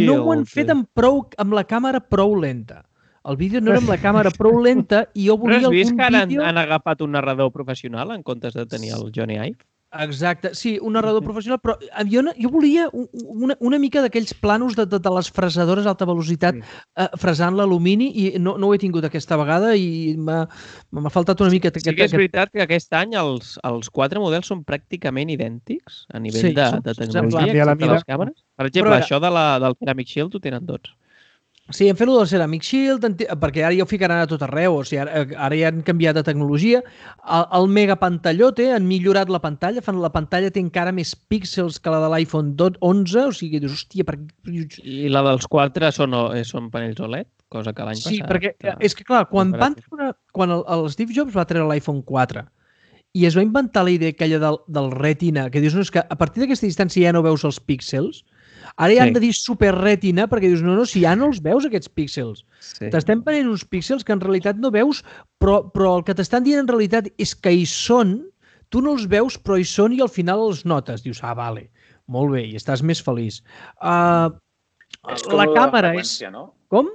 No ho han fet amb, prou, amb la càmera prou lenta. El vídeo no era amb la càmera prou lenta i jo volia algun vídeo... Però has vist que ara vídeo... han, han agafat un narrador professional en comptes de tenir el Johnny Ive? Exacte, sí, un narrador professional, però jo, jo volia una, una mica d'aquells planos de, de, de les fresadores a alta velocitat sí. eh, fresant l'alumini i no, no ho he tingut aquesta vegada i m'ha faltat una mica... Sí que és veritat que aquest any els, els quatre models són pràcticament idèntics a nivell sí, de, de tecnologia, excepte les càmeres. Per exemple, però, això de la, del Ceramic Shield ho tenen tots. Sí, hem fet el del Ceramic Shield, perquè ara ja ho ficaran a tot arreu, o sigui, ara, ara ja han canviat de tecnologia. El, el mega pantallote, han millorat la pantalla, fan la pantalla té encara més píxels que la de l'iPhone onze, o sigui, dius, hòstia... Per... I la dels quatre són, són panells O L E D, cosa que l'any sí, passat... Sí, perquè que... és que, clar, quan, van treure, quan el, el Steve Jobs va treure l'iPhone quatre i es va inventar la idea aquella del, del retina, que dius, no, és que a partir d'aquesta distància ja no veus els píxels. Ara ja sí. han de dir super retina perquè dius, no, no, si ja no els veus aquests píxels. Sí. T'estem prenent uns píxels que en realitat no veus, però, però el que t'estan dient en realitat és que hi són, tu no els veus, però hi són i al final els notes. Dius, ah, vale, molt bé, i estàs més feliç. Uh, és com la càmera la és... No? Com?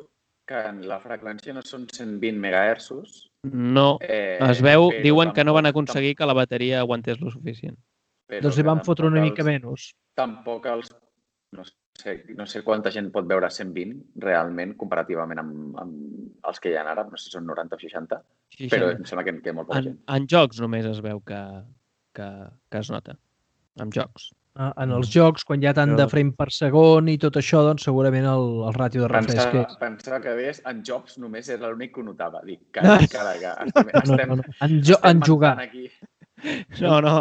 Que la freqüència no són cent vint megahertzos. No, eh, es veu, diuen que no van aconseguir que la bateria aguantés lo suficient. Doncs hi van fotre una mica menys. Tampoc els... No sé, no sé quanta gent pot veure cent vint realment, comparativament amb, amb els que hi ha ara, no sé si són noranta o seixanta, seixanta. Però em sembla que, que molt poca en, gent. En jocs només es veu que, que, que es nota, en jocs. Ah, en els jocs, quan hi ha tant de frame per segon i tot això, doncs segurament el, el ràtio de refresc és... Pensava que deies, en jocs només era l'únic que ho notava. Dic, carai, carai, que estem, estem, no, no, no. En, jo, estem en jugar. Aquí. No, no.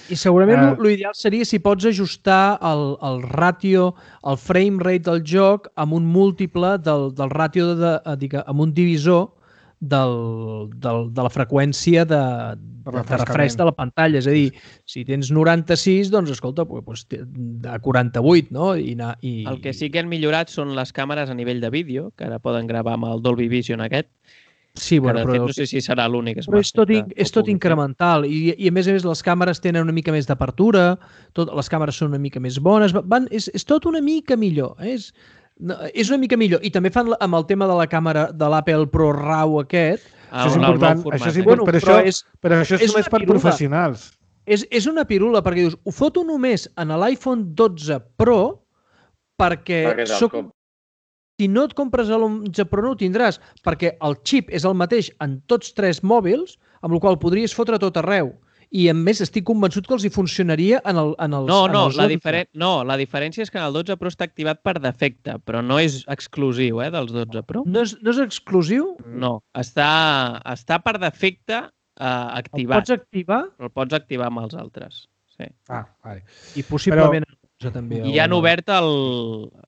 I segurament uh, l'ideal seria si pots ajustar el, el ràtio, el frame rate del joc amb un múltiple del, del ràtio, de, de, amb un divisor del, del, de la freqüència de, de, de refresc de la pantalla. És a dir, si tens noranta-sis, doncs, escolta, doncs, de quaranta-vuit, no? I, i... El que sí que han millorat són les càmeres a nivell de vídeo, que ara poden gravar amb el Dolby Vision aquest. Sí, bueno, que, però... fet, no sé si serà l'únic. Però és tot, in, és tot incremental i, i a més a més les càmeres tenen una mica més d'apertura, les càmeres són una mica més bones, van, és, és tot una mica millor. Eh? És, no, és una mica millor. I també fan amb el tema de la càmera de l'Apple Pro RAW aquest. Ah, això és important, això és important, bueno, però, però, això, és, però això és, és només per pirula. Professionals. És, és una pirula perquè dius, ho foto només en l'iPhone dotze Pro perquè, perquè soc... Si no et compres l'onze Pro no ho tindràs, perquè el xip és el mateix en tots tres mòbils, amb el qual podries fotre tot arreu. I, a més, estic convençut que els hi funcionaria en, el, en els... No, no, en els la diferen... no, la diferència és que en el dotze Pro està activat per defecte, però no és exclusiu, eh, dels dotze Pro. No és, no és exclusiu? No, està, està per defecte eh, activat. El pots activar? Però el pots activar amb els altres, sí. Ah, vale. I possiblement... Però... També, I han obert, el,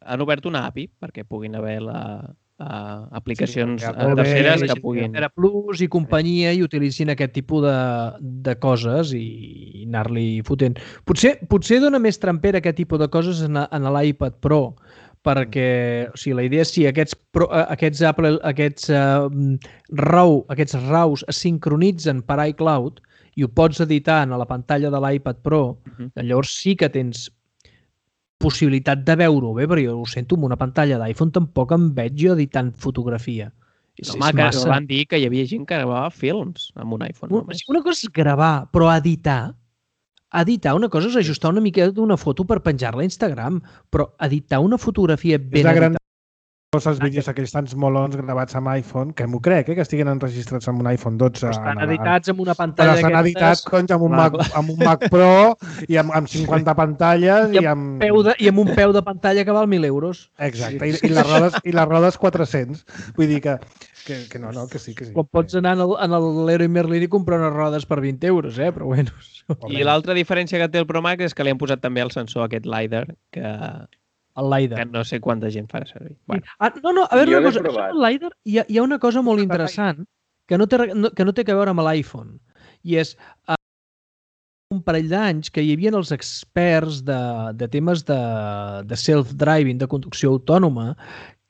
han obert una A P I perquè puguin haver la, uh, aplicacions sí, terceres que puguin... Plus i companyia i utilitzin aquest tipus de, de coses i anar-li fotent. Potser, potser dona més trampera aquest tipus de coses en, en l'iPad Pro, perquè o sigui, la idea és si aquests, pro, aquests, Apple, aquests uh, RAW, aquests RAWs es sincronitzen per iCloud i ho pots editar a la pantalla de l'iPad Pro, uh-huh. llavors sí que tens possibilitat de veure-ho bé, però jo ho sento, amb una pantalla d'iPhone tampoc em veig jo editant fotografia. No, home, que massa... van dir que hi havia gent que gravava films amb un iPhone. Una, només. una cosa és gravar, però editar, editar una cosa és ajustar una mica d'una foto per penjar-la a Instagram, però editar una fotografia ben editada els vídeos aquells tants molons gravats amb iPhone, que m'ho crec, eh, que estiguen enregistrats amb un iPhone dotze. Però estan editats amb una pantalla Però estan editats con, amb, un Mac, amb un Mac Pro i amb, amb cinquanta pantalles i, I, amb amb... peu de, i amb un peu de pantalla que val mil euros. Exacte, i, i, les rodes, i les rodes quatre-cents. Vull dir que, que, que no, no, que sí, que sí. Quan pots anar en l'Leroy Merlin i comprar unes rodes per vint euros, eh? Però bueno... I l'altra diferència que té el Pro Max és que li han posat també el sensor aquest LiDAR, que, el LiDAR. que no sé quanta gent farà servir. Bueno. Ah, no, no, a veure una cosa. Això del LiDAR hi ha, hi ha una cosa molt interessant que no té, que no té que veure amb l'iPhone. I és uh, un parell d'anys que hi havia els experts de, de temes de, de self-driving, de conducció autònoma,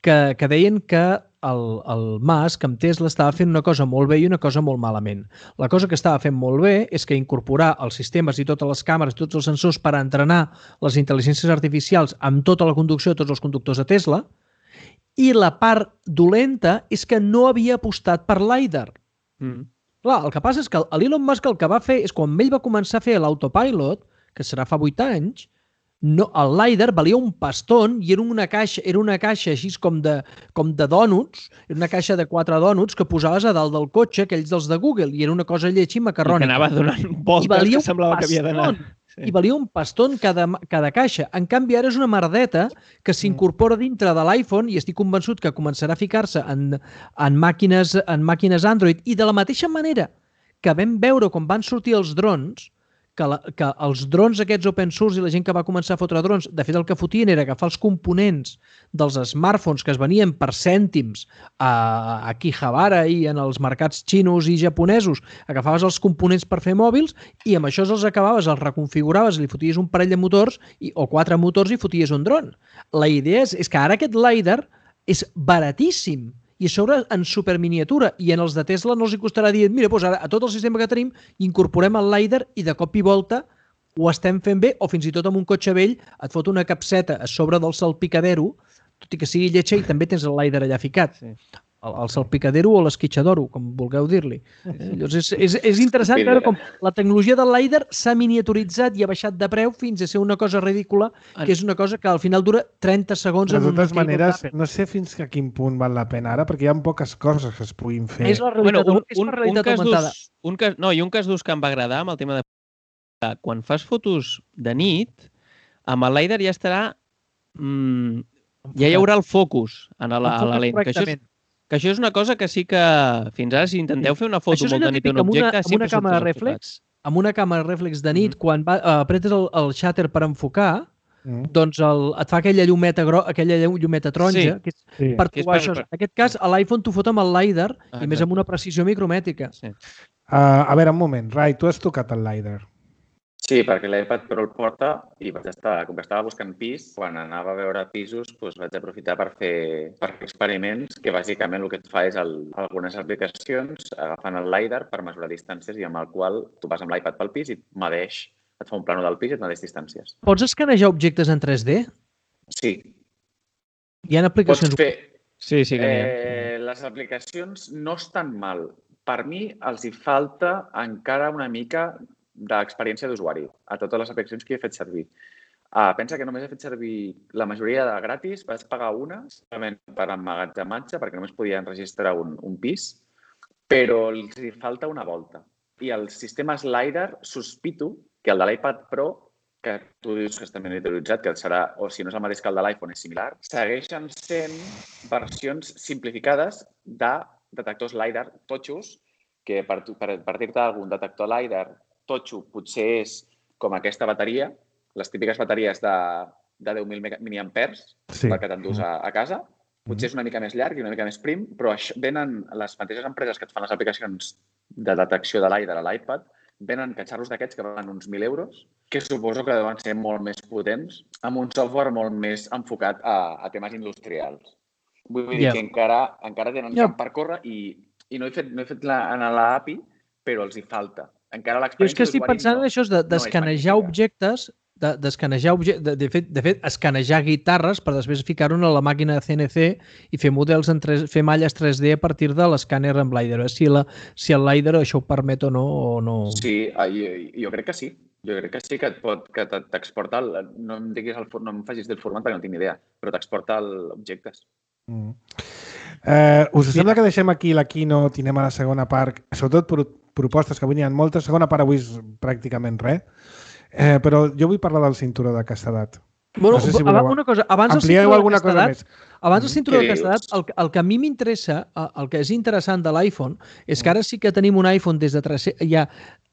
que, que deien que el, el Musk amb Tesla estava fent una cosa molt bé i una cosa molt malament. La cosa que estava fent molt bé és que incorporar els sistemes i totes les càmeres i tots els sensors per entrenar les intel·ligències artificials amb tota la conducció de tots els conductors de Tesla, i la part dolenta és que no havia apostat per LiDAR. Mm. Clar, el que passa és que l'Elon Musk el que va fer és quan ell va començar a fer l'autopilot, que serà fa vuit anys, no, el LiDAR valia un paston i era una caixa, era una caixa així com de, com de dònuts, era una caixa de quatre dònuts que posaves a dalt del cotxe, aquells dels de Google, i era una cosa lletja i macarrònica. I que anava donant voltes que semblava que havia d'anar. Sí. I valia un paston cada, cada caixa. En canvi, ara és una merdeta que s'incorpora dintre de l'iPhone i estic convençut que començarà a ficar-se en, en, màquines, en màquines Android. I de la mateixa manera que vam veure quan van sortir els drons, que, la, que els drons aquests open source i la gent que va començar a fotre drons, de fet el que fotien era agafar els components dels smartphones que es venien per cèntims a, a Akihabara i en els mercats xinos i japonesos, agafaves els components per fer mòbils i amb això els acabaves, els reconfiguraves, li foties un parell de motors i, o quatre motors i foties un dron. La idea és, és que ara aquest LiDAR és baratíssim i a sobre en superminiatura, i en els de Tesla no els hi costarà dir, mira, doncs ara a tot el sistema que tenim incorporem el LiDAR i de cop i volta ho estem fent bé, o fins i tot amb un cotxe vell et fot una capseta a sobre del salpicadero, tot i que sigui lletja, i també tens el LiDAR allà ficat. Sí. El, el salpicadero o l'esquitxadoro, com vulgueu dir-li. Llavors és, és, és interessant veure com la tecnologia del LiDAR s'ha miniaturitzat i ha baixat de preu fins a ser una cosa ridícula, que és una cosa que al final dura trenta segons. De totes maneres, no sé fins a quin punt val la pena ara, perquè hi ha poques coses que es puguin fer. És la realitat, bueno, un, és la realitat un augmentada. Un cas, no, i un cas d'ús que em va agradar amb el tema de... Quan fas fotos de nit, amb el LiDAR ja estarà... Mmm, ja hi haurà el focus a la, a la lent. Que això és, que això és una cosa que sí que fins ara si intenteu fer una foto molt de nit d'un objecte, amb una càmera reflex, amb una càmera reflex de nit, mm. quan va, uh, apretes el, el shutter per enfocar, mm. doncs el, et fa aquella llumeta, gro, aquella llumeta taronja, sí. que és sí. per trobar per, això. Per... En aquest cas, a l'iPhone t'ho fot amb el LiDAR ah, i més amb una precisió micromètrica. Sí. Uh, a veure, un moment. Rai, tu has tocat el LiDAR. Sí, perquè l'iPad Pro el porta i vaig estar, com que estava buscant pis, quan anava a veure pisos doncs vaig aprofitar per fer, per fer experiments que bàsicament el que et fa és el, algunes aplicacions agafant el LiDAR per mesurar distàncies i amb el qual tu vas amb l'iPad pel pis i et medeix, et fa un plano del pis i et medeix distàncies. Pots escanejar objectes en tres D? Sí. Hi ha aplicacions... Pots fer... Sí, sí que n'hi ha. Eh, les aplicacions no estan mal. Per mi els hi falta encara una mica d'experiència d'usuari a totes les aplicacions que he fet servir. Uh, pensa que només he fet servir la majoria de gratis, vaig pagar una simplement per emmagatzematge, perquè només podia enregistrar un, un pis, però els hi falta una volta. I els sistemes LiDAR sospito que el de l'iPad Pro, que tu dius que està miniaturitzat, que serà, o si no és el mateix que el de l'iPhone, és similar, segueixen sent versions simplificades de detectors LiDAR totxos, que per, per, per dir-te algun detector LiDAR totxo potser és com aquesta bateria, les típiques bateries de, de deu mil miliampers, sí. Per que t'endús a, a casa. Potser és una mica més llarg i una mica més prim, però això, venen les mateixes empreses que et fan les aplicacions de detecció de LiDAR a l'iPad, venen catxarros d'aquests que valen uns mil euros, que suposo que deuen ser molt més potents, amb un software molt més enfocat a, a temes industrials. Vull dir yeah. que encara, encara tenen yeah. camp per córrer i, i no he fet, no he fet la, en l'A P I, però els hi falta. Encara l'experiència jo és que estic pensant no, en això d'escanejar de, objectes, d'escanejar de, objectes, de, de, fet, de fet, escanejar guitarres per després ficar-ho a la màquina de C N C i fer models en tres, fer malles tres D a partir de l'escàner amb LiDAR. Si, la, si el LiDAR això ho permet o no. O no. Sí, jo, jo crec que sí. Jo crec que sí que et pot, que t'exporta, el, no em diguis el, no em facis del format perquè no tinc ni idea, però t'exporta objectes. Mm. Eh, us sembla que deixem aquí la keynote i anem a la segona part, sobretot pro propostes, que avui n'hi ha moltes, segona part avui és pràcticament res, eh, però jo vull parlar del cinturó de castedat. Bueno, no sé si voleu... una cosa, abans del cinturó alguna de castedat, cosa més. Abans del cinturó de castedat, el, el que a mi m'interessa, el que és interessant de l'iPhone, és que ara sí que tenim un iPhone des de tres-cents, ja,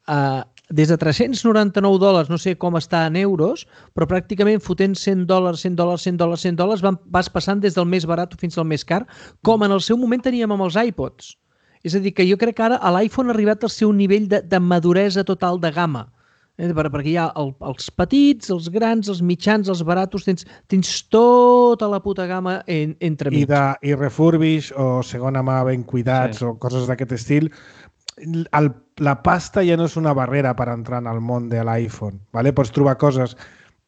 uh, des de tres-cents noranta-nou dòlars, no sé com està en euros, però pràcticament fotent cent dòlars, cent dòlars, cent dòlars, cent dòlars, vas passant des del més barat fins al més car, com en el seu moment teníem amb els iPods. És a dir, que jo crec que ara l'iPhone ha arribat al seu nivell de, de maduresa total de gamma. Eh, perquè hi ha el, els petits, els grans, els mitjans, els baratos, tens, tens tota la puta gamma en, entre mig. I, de, I refurbish o segona mà ben cuidats sí. o coses d'aquest estil. El, la pasta ja no és una barrera per entrar en el món de l'iPhone. ¿Vale? Pots trobar coses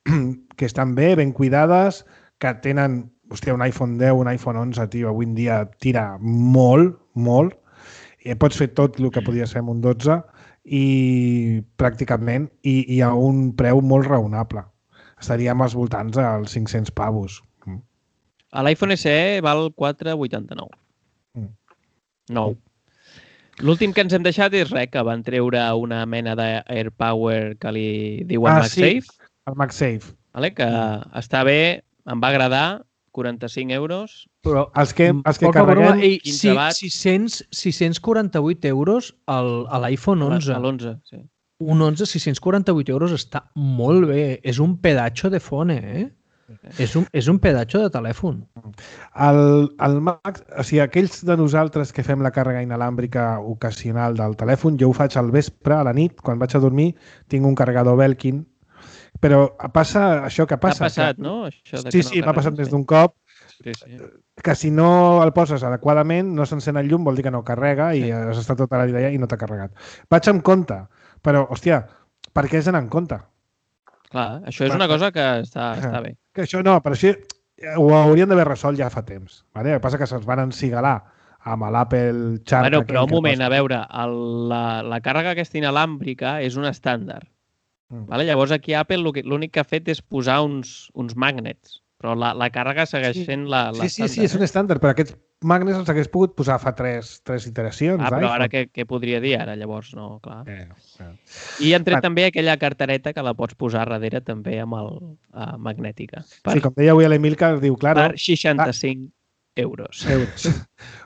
que estan bé, ben cuidades, que tenen, hòstia, un iPhone deu, un iPhone onze, tio, avui en dia tira molt, molt, i pots fer tot el que podia ser amb un dotze i pràcticament i, i a un preu molt raonable. Estaríem als voltants dels cinc-cents pavos. L'iPhone S E val quatre coma vuitanta-nou. Mm. Nou. L'últim que ens hem deixat és res, que van treure una mena d'AirPower que li diuen ah, MagSafe. Sí, el MagSafe. Vale? Que mm. està bé, em va agradar, quaranta-cinc euros. Però els que, els que carreguem... Broma, ei, sí, sis-cents quaranta-vuit euros a l'iPhone onze. A l'onze, sí. Un onze, sis-cents quaranta-vuit euros està molt bé. És un pedacho de fone, eh? És un, és un pedacho de telèfon. El, el Max, o sigui, aquells de nosaltres que fem la càrrega inalàmbrica ocasional del telèfon, jo ho faig al vespre, a la nit, quan vaig a dormir, tinc un carregador Belkin, però passa això que passa. T'ha passat, que... no? Això de sí, no sí, m'ha passat sí. més d'un cop. Sí, sí. Que si no el poses adequadament, no s'encén el llum, vol dir que no carrega i sí. has estat tota la vida allà i no t'ha carregat. Vaig amb compte, però, hòstia, per què has d'anar en compte? Clar, això és una cosa que està, està bé. Que això no, però així ho haurien d'haver resolt ja fa temps. Vale? El que passa que se'ls van encigalar amb l'Apple Charm. Bueno, però un moment, a veure, el, la, la càrrega aquesta inalàmbrica és un estàndard. Mm. Vale? Llavors aquí Apple l'únic que ha fet és posar uns, uns magnets, però la, la càrrega segueix sí. sent la, sí, sí, sí, és un estàndard, però aquests magnets els hagués pogut posar fa tres, tres iteracions. Ah, però ara què, què podria dir ara, llavors? No, clar. Eh, eh. I han tret ah. també aquella cartereta que la pots posar darrere també amb el uh, magnètica. Per, sí, com deia avui l'Emil, que diu, clar... Per seixanta-cinc ah. euros. euros.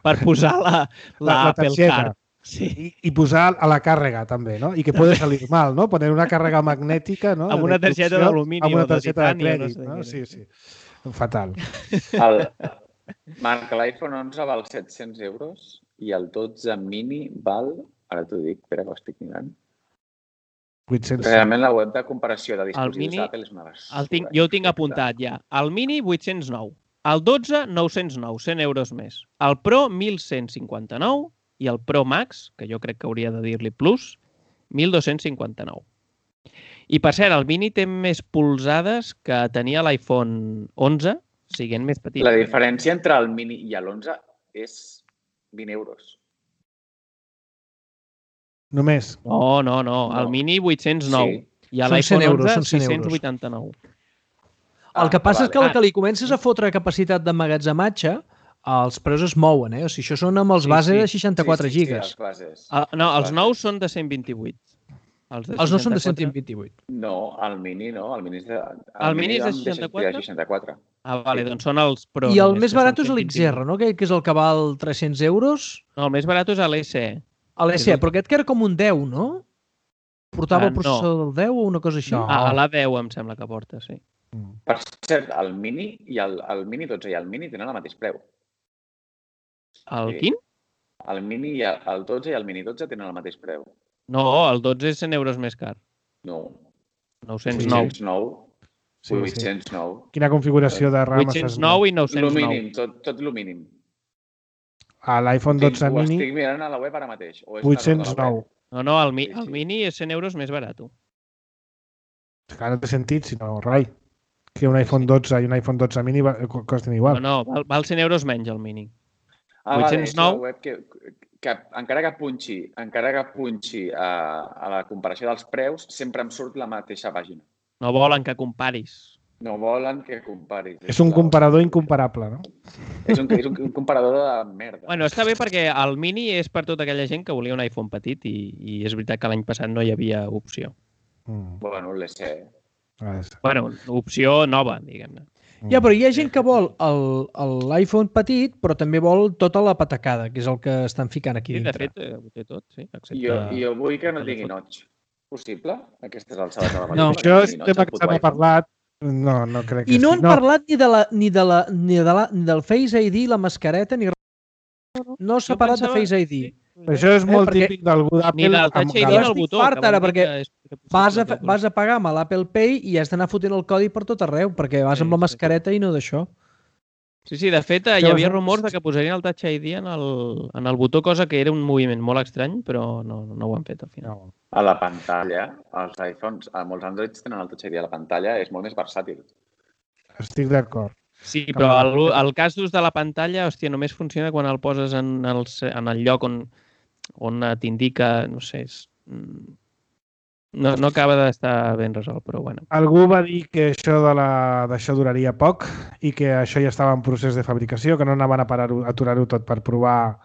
Per posar la, la, la Apple Card. Sí. I, I posar a la càrrega també, no? I que puede salir mal, no? Poner una càrrega magnètica, no? Amb una targeta d'alumini o de titani. De crèdit, no? no? Sí, sí. Fatal. El, Marc, l'iPhone onze val set-cents euros i el dotze mini val, ara t'ho dic, espera que ho estic mirant. vuit-cents. Realment la web de comparació de dispositius mini, d'Apple és una basura. Tinc, jo ho tinc apuntat ja. El mini, vuit-cents nou. El dotze, nou-cents nou, cent euros més. El Pro, mil cent cinquanta-nou. I el Pro Max, que jo crec que hauria de dir-li Plus, mil dos-cents cinquanta-nou. I per cert, el mini té més polzades que tenia l'iPhone onze, siguent més petit. La diferència entre el mini i l'onze és vint euros. Només? No, no, no. El no. mini vuit-cents nou. Sí. I a l'iPhone onze sis-cents vuitanta-nou. El que passa ah, és que el que li comences a fotre capacitat d'emmagatzematge, els preus es mouen, eh? O sigui, això són amb els sí, bases sí. de seixanta-quatre sí, sí, gigas. Sí, sí, els uh, no, els nous són de cent vint-i-vuit. Els, els nous són de cent vint-i-vuit. No, el mini no. El mini és de, el el mini és de seixanta-quatre? De seixanta-quatre. Ah, vale, doncs són els Pro. I el més barat és l'X R, no? Que és el que val tres-cents euros. No, el més barat és l'S E. L'S E, però aquest que era com un deu, no? Portava el processador del deu o una cosa així? No. A l'A deu em sembla que porta, sí. Per cert, el mini i el, el mini dotze i el mini tenen el mateix preu. El quin? El mini i el, el dotze i el mini dotze tenen el mateix preu. No, el dotze és cent euros més car. No. nou-cents nou. vuit-cents nou. Sí, vuit-cents nou. Quina configuració de RAM? vuit-cents nou i nou-cents nou. Lo mínim, tot, tot lo mínim. A l'iPhone dotze ho mini... Ho estic mirant a la web ara mateix. vuit-cents nou. No, no, el, mi, el mini és cent euros més barat. Que no té sentit, sinó rai. Que un iPhone dotze i un iPhone dotze mini costen igual. No, no, val, val cent euros menys el mini. Ah, vuit-cents nou... vale, és la web que, que encara que punxi, encara que punxi a, a la comparació dels preus, sempre em surt la mateixa pàgina. No volen que comparis. No volen que comparis. És un comparador incomparable, no? És un, és un, un comparador de merda. Bueno, està bé perquè el Mini és per tota aquella gent que volia un iPhone petit i, i és veritat que l'any passat no hi havia opció. Mm. Bueno, l'E C. Bueno, opció nova, diguem-ne. Ja, però hi ha gent que vol l'iPhone petit, però també vol tota la patacada, que és el que estan ficant aquí sí, dintre. De fet, ho té tot, sí. Excepte... Jo, jo vull que no tingui notch. Possible? Aquestes alçades de la no, això és un tema que se n'ha parlat. No, no crec que I no sí. han no. parlat ni, de la, ni, de la, ni, de la, ni del Face I D, la mascareta, ni no s'ha parlat pensava... de Face I D. Sí. Això és molt eh, típic d'algú d'Apple. Ni del Touch I D del botó. Fart ara, perquè vas a, vas a pagar amb l'Apple Pay i has d'anar fotent el codi per tot arreu, perquè vas sí, amb la mascareta sí. i no d'això. Sí, sí, de fet, hi havia rumors de que posarien el Touch I D en el, en el botó, cosa que era un moviment molt estrany, però no, no ho han fet al final. A la pantalla, els iPhones, a molts Androids tenen el Touch I D a la pantalla, és molt més versàtil. Estic d'acord. Sí, però el, el cas d'ús de la pantalla, hòstia, només funciona quan el poses en el, en el lloc on, on t'indica, no sé, és... No, no acaba d'estar ben resolt, però bueno. Algú va dir que això de la, d'això duraria poc i que això ja estava en procés de fabricació, que no anaven a parar-ho, aturar-ho tot per provar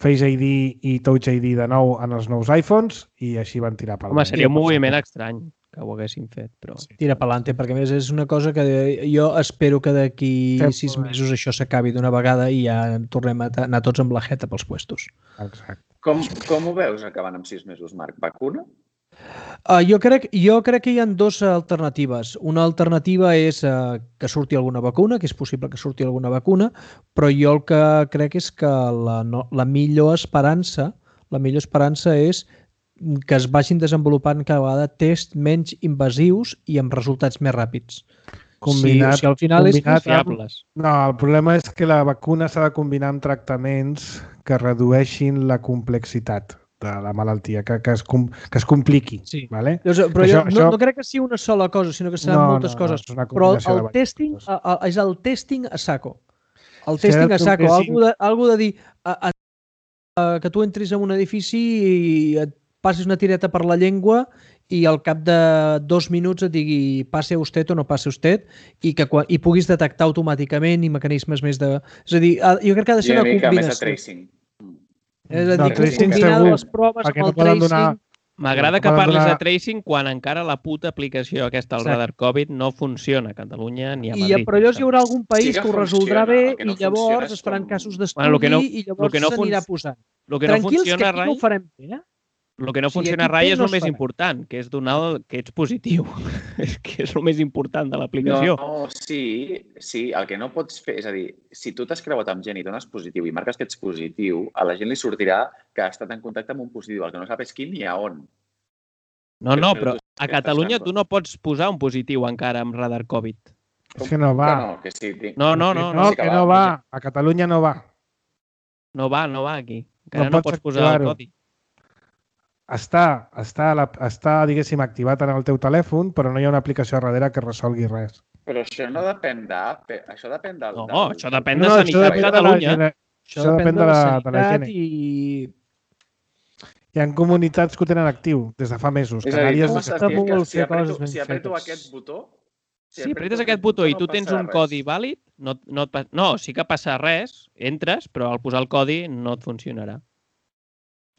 Face I D i Touch I D de nou en els nous iPhones i així van tirar pel Home, seria un moviment estrany que ho haguessin fet, però... Sí. Tira pelante, perquè a més és una cosa que jo espero que d'aquí sis mesos això s'acabi d'una vegada i ja tornem a anar tots amb la jeta pels puestos. Exacte. Com, com ho veus acabant amb sis mesos, Marc? Vacuna? Uh, jo, crec, jo crec que hi ha dues alternatives. Una alternativa és uh, que surti alguna vacuna, que és possible que surti alguna vacuna, però jo el que crec és que la, no, la millor esperança la millor esperança és que es vagin desenvolupant cada vegada tests menys invasius i amb resultats més ràpids. Combinat, si, si al final combinat és fiables. Amb... No, el problema és que la vacuna s'ha de combinar amb tractaments que redueixin la complexitat de la malaltia, que, que, es, com, que es compliqui. Sí. Vale? Però això, jo no, no crec que sigui una sola cosa, sinó que seran no, moltes no, coses. No, però el, el testing a, a, és el testing a saco. El si testing a saco. Algú de, algú de dir a, a, a, que tu entris en un edifici i et passis una tireta per la llengua i al cap de dos minuts et digui passe usted o no passe usted i que quan, i puguis detectar automàticament i mecanismes més de... És a dir, jo crec que ha de ser una combinació. És a dir, no, que combinar les proves amb el tracing... Donar... M'agrada que parlis donar... de tracing quan encara la puta aplicació aquesta, el radar Covid, no funciona a Catalunya ni a Madrid. I, però llavors hi haurà algun país sí que, que ho resoldrà bé no i llavors es faran com... casos d'estudi bueno, no, i llavors no s'anirà posant. Lo que no Tranquils, funciona, que aquí no ho farem bé, eh? El que no sí, funciona rai és el més important, que és donar que ets positiu. Que és el més important de l'aplicació. No, sí, sí, el que no pots fer, és a dir, si tu t'has creuat amb gent i dones positiu i marques que ets positiu, a la gent li sortirà que ha estat en contacte amb un positiu, el que no sap és quin ni a on. No, no, però a Catalunya tu no pots posar un positiu encara amb radar Covid. És que no va. No, que sí, no, no, no, no, que no va. A Catalunya no va. No va, no va aquí. Encara no, no pots posar el codi. Està, està, la, està, diguéssim, activat en el teu telèfon, però no hi ha una aplicació darrere que resolgui res. Però això no depèn d'Apple, això depèn del... No, no, això depèn de no, Sanitat de Catalunya. De això depèn de la, de la gent. I... Hi ha comunitats que ho tenen actiu des de fa mesos. És a dir, tu m'estàs dient que si apreto, si apreto aquest botó... Si, si apretes aquest botó i tu tens un codi vàlid, no, no, no, sí que passa res, entres, però al posar el codi no et funcionarà.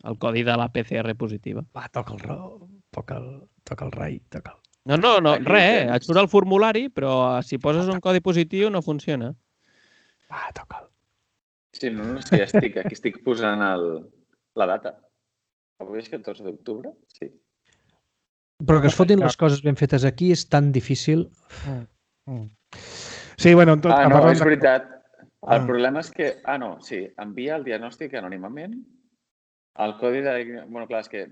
El codi de la P C R positiva. Va, toca el ro, toca el, toca el rai, toca el... No, no, no, res, et surt el formulari, però si poses un codi positiu no funciona. Va, toca el... Sí, no, no sé, ja estic, aquí estic posant el, la data. Avui és catorze d'octubre? Sí. Però que es fotin les coses ben fetes aquí és tan difícil. Sí, bueno... Tot, ah, no, és veritat. El problema és que... Ah, no, sí, envia el diagnòstic anònimament. El codi de... Bueno, clar, és que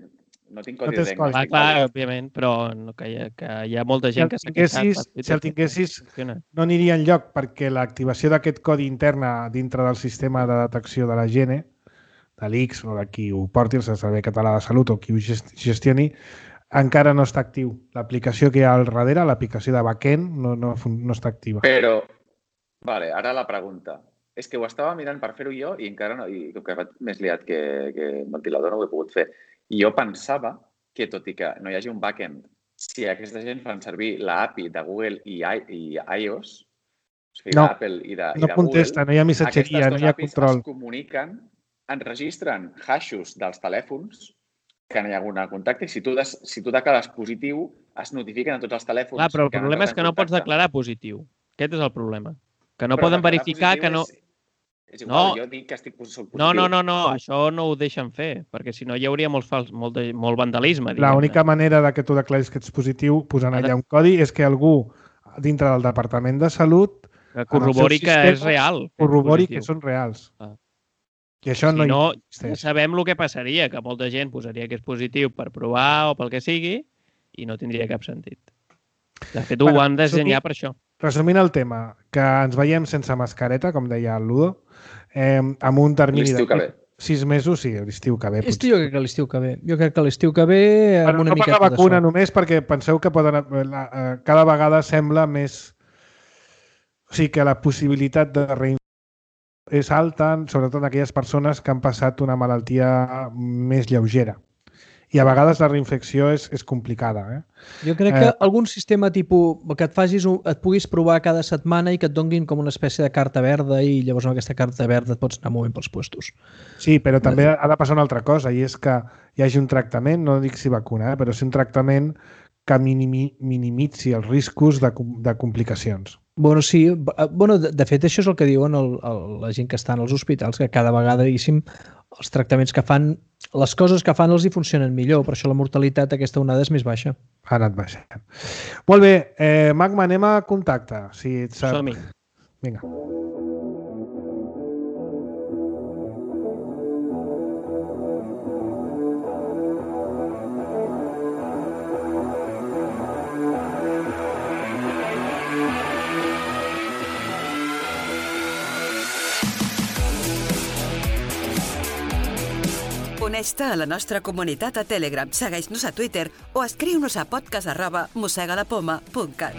no tinc codi no de diagnòstic. Ah, clar, òbviament, però no, que, hi ha, que hi ha molta gent si que s'ha queixat. Si el tinguessis, no aniria enlloc, perquè l'activació d'aquest codi interna dintre del sistema de detecció de la Gene, de l'I X o de qui ho porti, el Servei Català de Salut o qui ho gestioni, encara no està actiu. L'aplicació que hi ha al darrere, l'aplicació de backend, no, no, no està activa. Però, vale, ara la pregunta. És que ho estava mirant per fer-ho jo i encara no, i com que vaig més liat que, que ventilador no ho he pogut fer. I jo pensava que, tot i que no hi hagi un backend si aquesta gent fan servir l'A P I de Google i, I, i iOS, o sigui, no, d'Apple i de, no i de contesta, Google, no hi ha missatgeria, no hi ha control. es comuniquen, enregistren hashes dels telèfons que no hi ha algun contacte i si tu, des, si tu declares positiu, es notifiquen a tots els telèfons. Clar, però el problema és que no pots declarar positiu. Aquest és el problema. Que no però poden verificar que no... És, és igual, no. jo dic que estic positiu. No, no, no, no, això no ho deixen fer, perquè si no hi hauria molt, fals, molt, de, molt vandalisme. L'única manera de que tu declaris que ets positiu posant allà un codi és que algú dintre del Departament de Salut que corrobori que és real. Corrobori que són reals. Ah. I això si no, no existeix. Sabem el que passaria, que molta gent posaria que és positiu per provar o pel que sigui i no tindria cap sentit. De fet, ho bueno, han de dissenyar per això. Resumint el tema, que ens veiem sense mascareta, com deia el Ludo, eh, amb un termini de sis mesos, sí, l'estiu que ve. Estiu, jo crec que l'estiu que ve. Jo crec que l'estiu que ve amb bueno, una no miqueta de per la vacuna sort. només perquè penseu que poden, la, cada vegada sembla més... O sigui, que la possibilitat de reinfecció és alta, sobretot en aquelles persones que han passat una malaltia més lleugera. I a vegades la reinfecció és, és complicada. Eh? Jo crec que eh, algun sistema tipus que et facis un, et puguis provar cada setmana i que et donguin com una espècie de carta verda i llavors amb aquesta carta verda et pots anar movent pels puestos. Sí, però també ha de passar una altra cosa i és que hi hagi un tractament, no dic si vacuna, eh, però sí un tractament que minimi, minimitzi els riscos de, de complicacions. Bueno, sí. Bueno, de, de fet, això és el que diuen el, el, la gent que està als hospitals, que cada vegada, diguéssim, els tractaments que fan, les coses que fan els hi funcionen millor, per això la mortalitat aquesta onada és més baixa. Ha anat baixant. Molt bé, eh, Magma, anem a contacte. Si et sap... Som-hi. Vinga. Uneix-te a la nostra comunitat a Telegram, segueix-nos a Twitter o escriu-nos a podcast arroba mossegalapoma punt cat.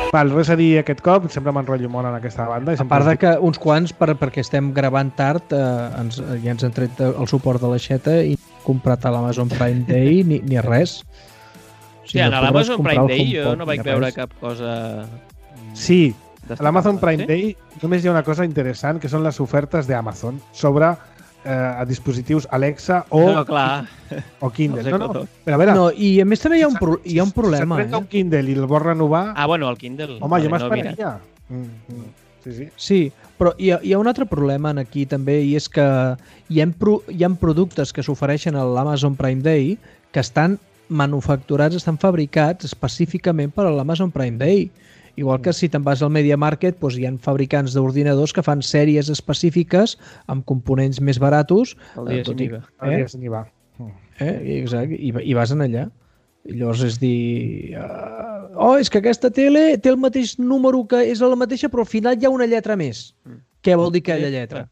Val, res a dir aquest cop, sempre m'enrotllo molt en aquesta banda. A part de que uns quants, per, perquè estem gravant tard, eh, ens, ja ens han tret el suport de l'aixeta i comprat a l'Amazon Prime Day ni, ni res. O sigui, sí, no a l'Amazon Prime Day jo no vaig veure cap cosa... Sí, a l'Amazon Prime Day només hi ha una cosa interessant, que són les ofertes d'Amazon sobre eh, a dispositius Alexa o, no, clar. o Kindle. No, no, no, però a veure, no, i a més també hi ha un, pro, hi ha un problema. Si s'apreta eh? un Kindle i el vol renovar... Ah, bueno, el Kindle. Home, vale, jo m'esperaria. No, mm, mm. Sí, sí. Sí, però hi ha, hi ha un altre problema aquí també, i és que hi ha, pro, hi ha productes que s'ofereixen a l'Amazon Prime Day que estan manufacturats, estan fabricats específicament per a l'Amazon Prime Day. Igual que si te'n vas al Media Market, doncs hi ha fabricants d'ordinadors que fan sèries específiques amb components més baratos. El dia sin IVA. El dia sin IVA. Eh? Exacte, i, i vas en allà. I llavors és dir... Uh, oh, és que aquesta tele té el mateix número, que és la mateixa, però al final hi ha una lletra més. Mm. Què vol dir aquella lletra?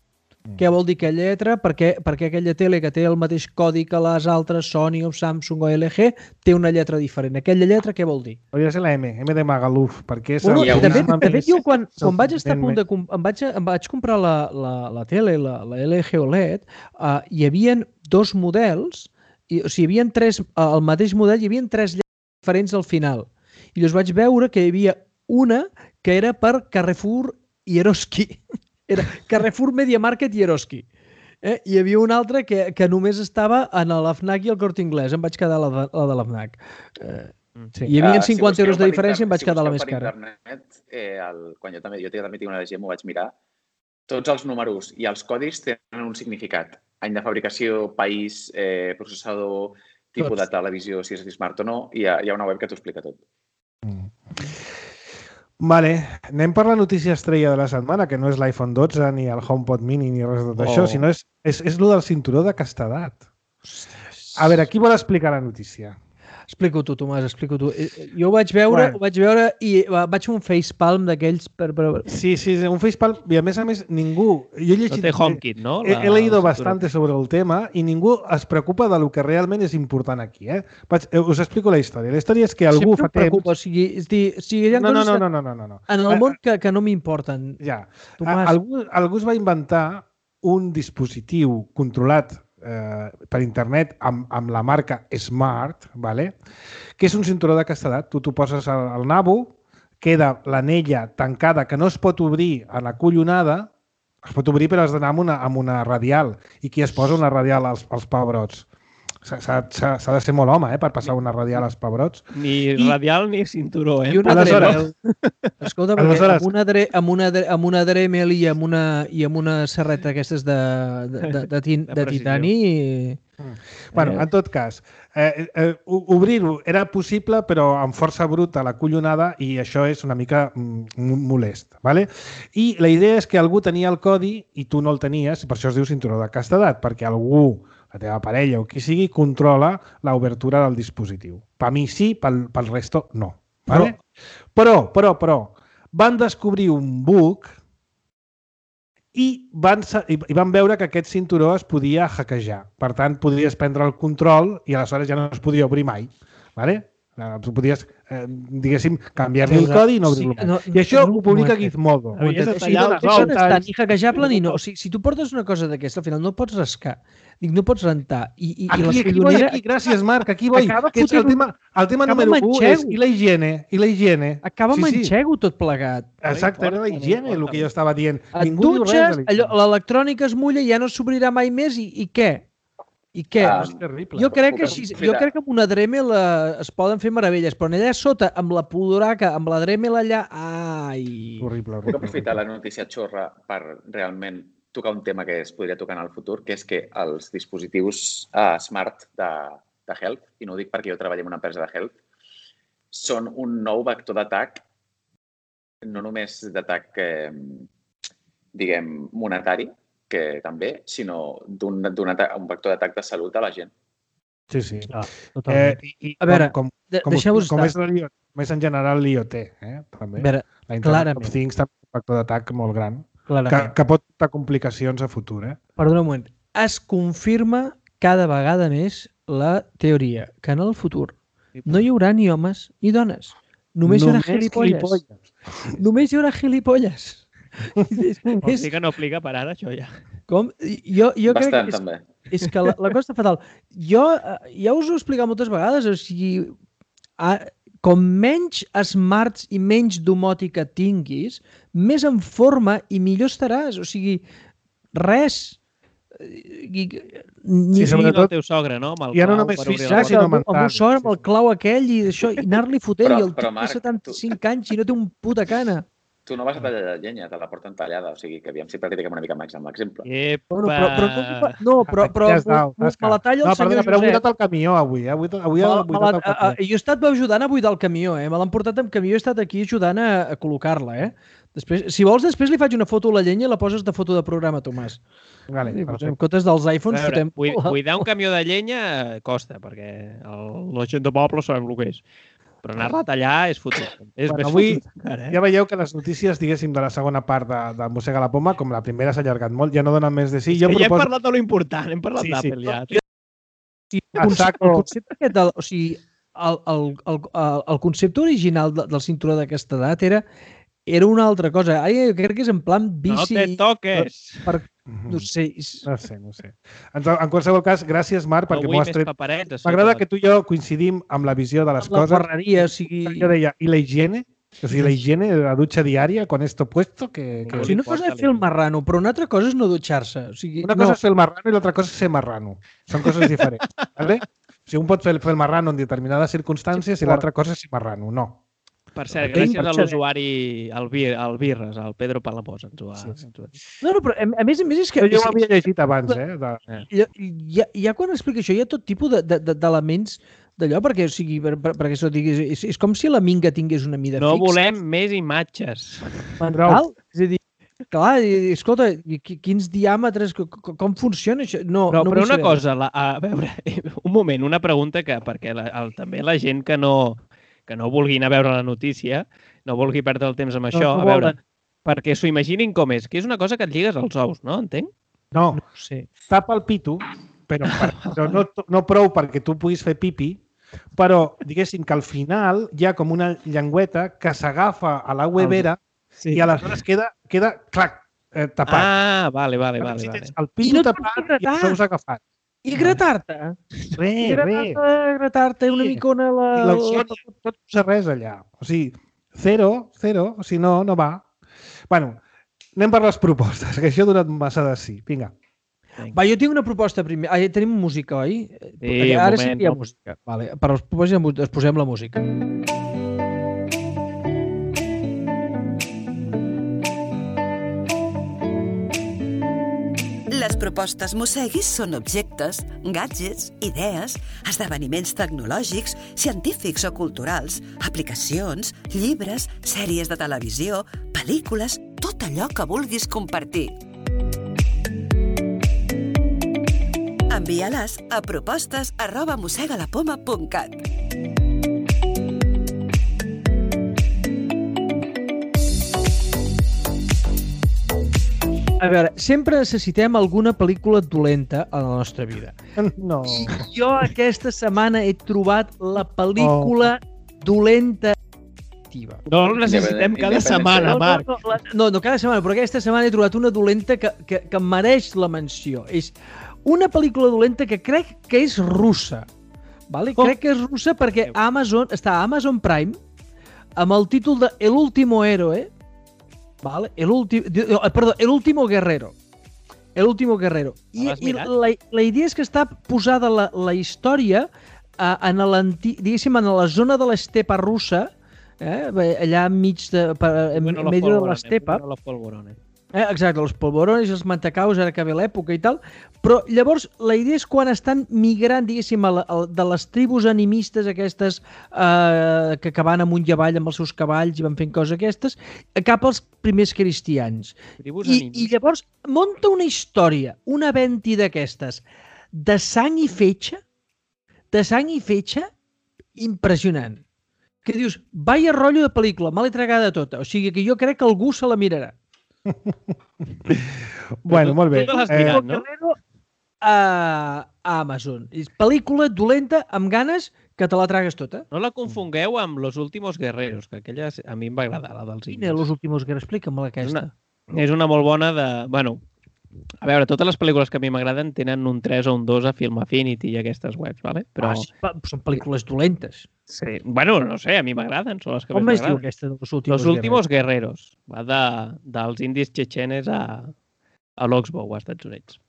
Mm. Què vol dir aquella lletra? Perquè, perquè aquella tele que té el mateix codi que les altres, Sony o Samsung o L G, té una lletra diferent. Aquella lletra què vol dir? Hauria de ser la M, M de Magaluf, perquè és... Bueno, de, fet, de fet, jo quan, quan vaig estar a punt de... Em vaig, em vaig comprar la, la, la tele, la, la L G O L E D, uh, hi havia dos models, i, o sigui, hi havia tres, uh, el mateix model, hi havia tres lletres diferents al final. I llavors vaig veure que hi havia una que era per Carrefour i Eroski. Era Carrefour, Media Market i Eroski. Eh? Hi havia una altra que, que només estava en la FNAC i el Corte Inglés. Em vaig quedar la de la, de la FNAC. Eh, sí. Hi havia cinquanta uh, si euros de diferència i em vaig si quedar la més cara. Internet, eh, el, quan jo també, jo també tinc una L G, m'ho vaig mirar, tots els números i els codis tenen un significat. Any de fabricació, país, eh, processador, tipus tots. De televisió, si és smart o no, i hi ha, hi ha una web que t'ho explica tot. Mm. Vale, anem per la notícia estrella de la setmana, que no és l'iPhone dotze, ni el HomePod Mini, ni res de tot oh. això, sinó és, és, és el del cinturó de castedat. A veure, qui vol explicar la notícia? Explica-ho tu, Tomàs, explica-ho tu. Jo ho vaig veure, bueno. ho vaig veure i vaig fer un facepalm d'aquells per... per... Sí, sí, un facepalm, i a més a més ningú... Jo he llegit... No té HomeKit, no? He, he leído bastante sobre el tema i ningú es preocupa de lo que realment és important aquí, eh? Vaig, us explico la història. La història és que algú Sempre fa temps... preocupa, o sigui, és dir, o sigui, hi ha no, no, coses no, no, no, no, no. en el món que, que no m'importen. Ja. Tomàs... Algú, algú es va inventar un dispositiu controlat eh, per internet amb, amb la marca Smart, vale? Que és un cinturó de castedat. Tu t'ho poses al, al nabo, queda l'anella tancada que no es pot obrir a la collonada, es pot obrir però has d'anar amb una, amb una radial. I qui es posa una radial als, als pebrots? S'ha de ser molt home, eh, per passar una radial als pebrots. Ni I... radial ni cinturó, eh? I una Aleshores... Escolta, perquè Aleshores... amb, una dre... amb, una dre... amb una Dremel i amb una, i amb una serreta aquestes de, de, de, de, tin... de titani... Mm. Bueno, en tot cas, eh, eh, obrir-ho era possible, però amb força bruta la collonada, i això és una mica mm, molest. ¿Vale? I la idea és que algú tenia el codi i tu no el tenies, per això es diu cinturó de castedat, perquè algú, la teva parella o qui sigui, controla l'obertura del dispositiu. Per mi sí, pel, pel resto no. ¿Vale? Però, però, però, van descobrir un bug i van, i van veure que aquest cinturó es podia hackejar. Per tant, podies prendre el control i aleshores ja no es podia obrir mai. ¿Vale? Tu podies, eh, diguéssim, canviar-li el codi i no obrir-lo. Sí, no, I això ho publica Gizmodo. No, no, no està ni hackejable ni no. O sigui, si tu portes una cosa d'aquesta, al final no pots rascar. Dic, no pots rentar. I, i, aquí, i aquí voy, aquí. Gràcies, Marc. Aquí voy. Que és el tema, el tema número u és i la higiene. I la higiene. Acaba amb enxego tot plegat. Exacte, era la higiene el que jo estava dient. Et dutxes, l'electrònica es mulla i ja no s'obrirà mai més i, i què? I què? Ah, és terrible. Jo crec que, així, jo crec que amb una Dremel es poden fer meravelles, però allà sota, amb la puduraca, amb la Dremel allà... Ai... Horrible, horrible. Puc aprofitar la notícia xorra per realment tocar un tema que es podria tocar en el futur, que és que els dispositius uh, smart de, de Health, i no ho dic perquè jo treballo en una empresa de Health, són un nou vector d'atac, no només d'atac, eh, diguem, monetari, que també, sinó d'un un vector d'atac de salut a la gent. Sí, sí. Ah, totalment. Eh, i, a veure, com, com, com, com, és, com és en general l'I O T, eh? També. A veure, la Internet of Things també és un vector d'atac molt gran, que, que pot portar complicacions a futur. Eh? Perdona un moment. Es confirma cada vegada més la teoria que en el futur no hi haurà ni homes ni dones. Només, Només hi haurà gilipolles. gilipolles. Només hi haurà gilipolles. és, és... Sí que no aplica per ara, això ja. Com? Jo, jo Bastant, crec que és, també. És que la, la cosa està fatal. Jo ja us ho he explicat moltes vegades, o sigui, a, com menys smarts i menys domòtica tinguis, més en forma i millor estaràs. O sigui, res... Ni, sí, sobretot el teu sogre, no? Amb el ja no només físic, sinó mental. Amb el sogre, amb el clau aquell i això, i anar-li fotent, però, i el tio té setanta-cinc tu... anys i no té un puta cana. Tu no vas a tallar la llenya, te la porten tallada, o sigui que aviam si practiquem una mica més amb l'exemple. Bueno, però, però, no, però, però ja me la talla el no, senyor perdona, però he buidat el camió avui, eh? Avui, avui he buidat el camió. Jo he estat ajudant a buidar el camió, eh? Me l'han portat amb camió i he estat aquí ajudant a, a col·locar-la, eh? Després, si vols, després li faig una foto a la llenya i la poses de foto de programa, Tomàs. Vale, en comptes dels iPhones veure, fotem... Buidar un camió de llenya costa, perquè el, la gent de poble sabem el que és. Però anar-la a tallar és fotut. És bueno, avui encara, eh? Ja veieu que les notícies, diguéssim, de la segona part de, de Mossega la Poma, com la primera s'ha allargat molt, ja no donen més de sí. Jo proposo... Ja hem parlat de lo important, hem parlat sí, d'Apple sí. ja. Sí, el, concepte, el concepte aquest del, o sigui, el, el, el, el concepte original del cinturó d'aquesta edat era era una altra cosa. Ai, jo crec que és en plan bici... No te toques! Per, no sé. No sé, no sé. En, en qualsevol cas, gràcies, Marc, perquè m'ho has tret. M'agrada que tu i jo coincidim amb la visió de les la coses. La ferreria, o sigui... Jo deia, i la higiene? O sigui, la higiene, la dutxa diària, con esto puesto, que... que... O sigui, una cosa és fer el marrano, però una altra cosa és no dutxar-se. O sigui, una cosa no. és fer el marrano i l'altra cosa és ser marrano. Són coses diferents. ¿Vale? O sigui, un pot fer el marrano en determinades circumstàncies i l'altra cosa és ser marrano. No. Per cert, gràcies a l'usuari, al Birres, al Pedro Palamós. Ens ho ha... sí, sí. No, no, però a més a més és que... Jo ho havia llegit abans, eh? De... Ja, ja, ja quan explica això hi ha tot tipus d'elements d'allò, perquè, o sigui, per, per, perquè això diguis, és, és com si la minga tingués una mida no fixa. No volem més imatges. Mental? És a dir, Clar, i, escolta, i quins diàmetres, com funciona això? No, però no però una saber. cosa, la, a veure, un moment, una pregunta que, perquè la, el, també la gent que no, que no vulgui anar a veure la notícia, no vulgui perdre el temps amb això, no a veure, perquè s'ho imaginin com és, que és una cosa que et lligues als ous, no? Entenc? No, No sé. tapa el pito, però, per, però no, no prou perquè tu puguis fer pipi, però diguéssim que al final hi ha com una llengüeta que s'agafa a la webera Sí. i aleshores queda, queda clac, eh, tapat. Ah, vale, vale, Llavors, vale. si vale. tens el I pito no et pots tapat i gratar. els ous agafats. I gratar-te? Res, res. Gratar-te, gratar-te una Sí. micona a la... I la tot, tot no posa res allà. O sigui, zero, zero, si no, no va. Bueno, anem per les propostes, que això ha donat massa de sí. Vinga. Va, jo tinc una proposta primer. Ah, tenim música, oi? Sí, un Ara moment, sí que hi ha no? música. Vale. Per als propòsits es posem la música. Les propostes Mosseguis són objectes, gadgets, idees, esdeveniments tecnològics, científics o culturals, aplicacions, llibres, sèries de televisió, pel·lícules, tot allò que vulguis compartir. Envia-les a propostes arroba mossegalapoma punt cat. A veure, sempre necessitem alguna pel·lícula dolenta a la nostra vida. No. Jo aquesta setmana he trobat la pel·lícula dolenta. No el necessitem cada Independència. setmana, No, Marc. no, no, la- no, no cada setmana, però aquesta setmana he trobat una dolenta que, que, que mereix la menció. És una pel·lícula dolenta que crec que és russa. Vale? Oh. Crec que és russa perquè a Amazon, està a Amazon Prime amb el títol de El último héroe. Vale? El último, perdó, El último guerrero. El último guerrero. I, L'has i mirat? la, la idea és que està posada la, la història eh, en, l'anti- diguéssim, en la zona de l'estepa russa, eh, allà enmig de, per, en Bueno, los medio de polvorones, l'estepa. bueno, los polvorones. Eh, exacte, els polvorones, els mantecaus, ara que ve l'època i tal, però llavors la idea és quan estan migrant, diguéssim, a la, a, de les tribus animistes aquestes eh, que, que van amunt i avall amb els seus cavalls i van fent coses aquestes, cap als primers cristians. Tribus I, animistes. I llavors munta una història, una venti d'aquestes, de sang i fetge, de sang i fetge, impressionant. Que dius, vaya rotllo de pel·lícula, mal entregada tota. O sigui que jo crec que algú se la mirarà. Bueno, molt bé. Tu l'has Eh, mirat, no? Guerrero a, a Amazon. És pel·lícula dolenta amb ganes que te la tragues tota. No la confongueu amb Los últimos guerreros, que aquella a mi em va agradar, la dels Quina, indis. Los últimos guerreros? Explica'm És aquesta. una, és una molt bona de... Bueno, a veure, totes les pel·lícules que a mi m'agraden tenen un tres o un dos a Film Affinity i aquestes webs, ¿vale? Però... Ah, sí, pa- són pel·lícules dolentes. Sí. Bueno, no sé, a mi m'agraden, són les que Com més es diu m'agraden. aquesta de Los últimos Los últimos guerreros. Va de, dels indis txetxenes a, a l'Oxbow, als Estats Units.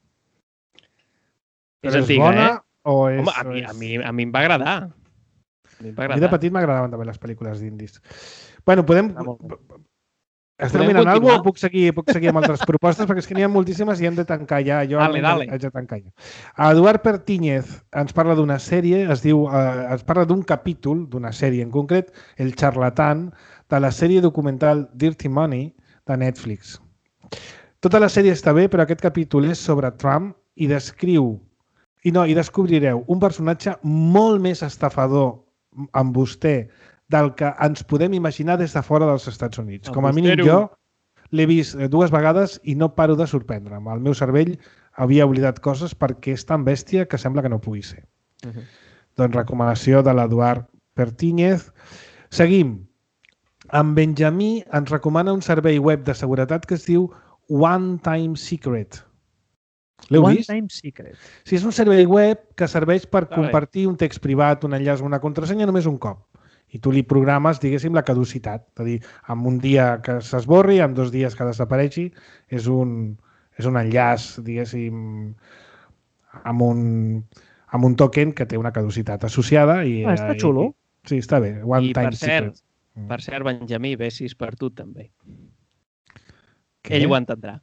però És és antiga, bona eh? o és... Home, a mi, o a, és- mi, a mi em va agradar. A mi em va A mi de agradar. petit m'agradaven també les pel·lícules d'indis. Bueno, podem... Està molt bé. Estem Podem mirant alguna continuar? cosa o puc seguir, puc seguir amb altres propostes? Perquè és que n'hi ha moltíssimes i hem de tancar ja. Jo Dale, almenys dale. haig de tancar ja. Eduard Pertíñez ens parla d'una sèrie, es diu, eh, ens parla d'un capítol, d'una sèrie en concret, El charlatán, de la sèrie documental Dirty Money de Netflix. Tota la sèrie està bé, però aquest capítol és sobre Trump i descriu, i no, i descobrireu un personatge molt més estafador amb vostè del que ens podem imaginar des de fora dels Estats Units. Com a mínim Embustero. jo l'he vist eh, dues vegades i no paro de sorprendre'm. El meu cervell havia oblidat coses perquè és tan bèstia que sembla que no pugui ser. Uh -huh. Doncs recomanació de l'Eduard Pertíñez. Seguim. En Benjamí ens recomana un servei web de seguretat que es diu One Time Secret. L'heu One vist? Time Secret. Sí, és un servei web que serveix per bé. compartir un text privat, un enllaç, una contrasenya només un cop. I tu li programes, diguéssim, la caducitat. És a dir, en un dia que s'esborri, en dos dies que desapareixi, és un, és un enllaç, diguéssim, amb un, amb un token que té una caducitat associada. I, Ah, està i- xulo. Sí, està bé. One I Time per cert, Secret. Mm. per cert, Benjamí, bessis per tu també. Què? Ell ho entendrà.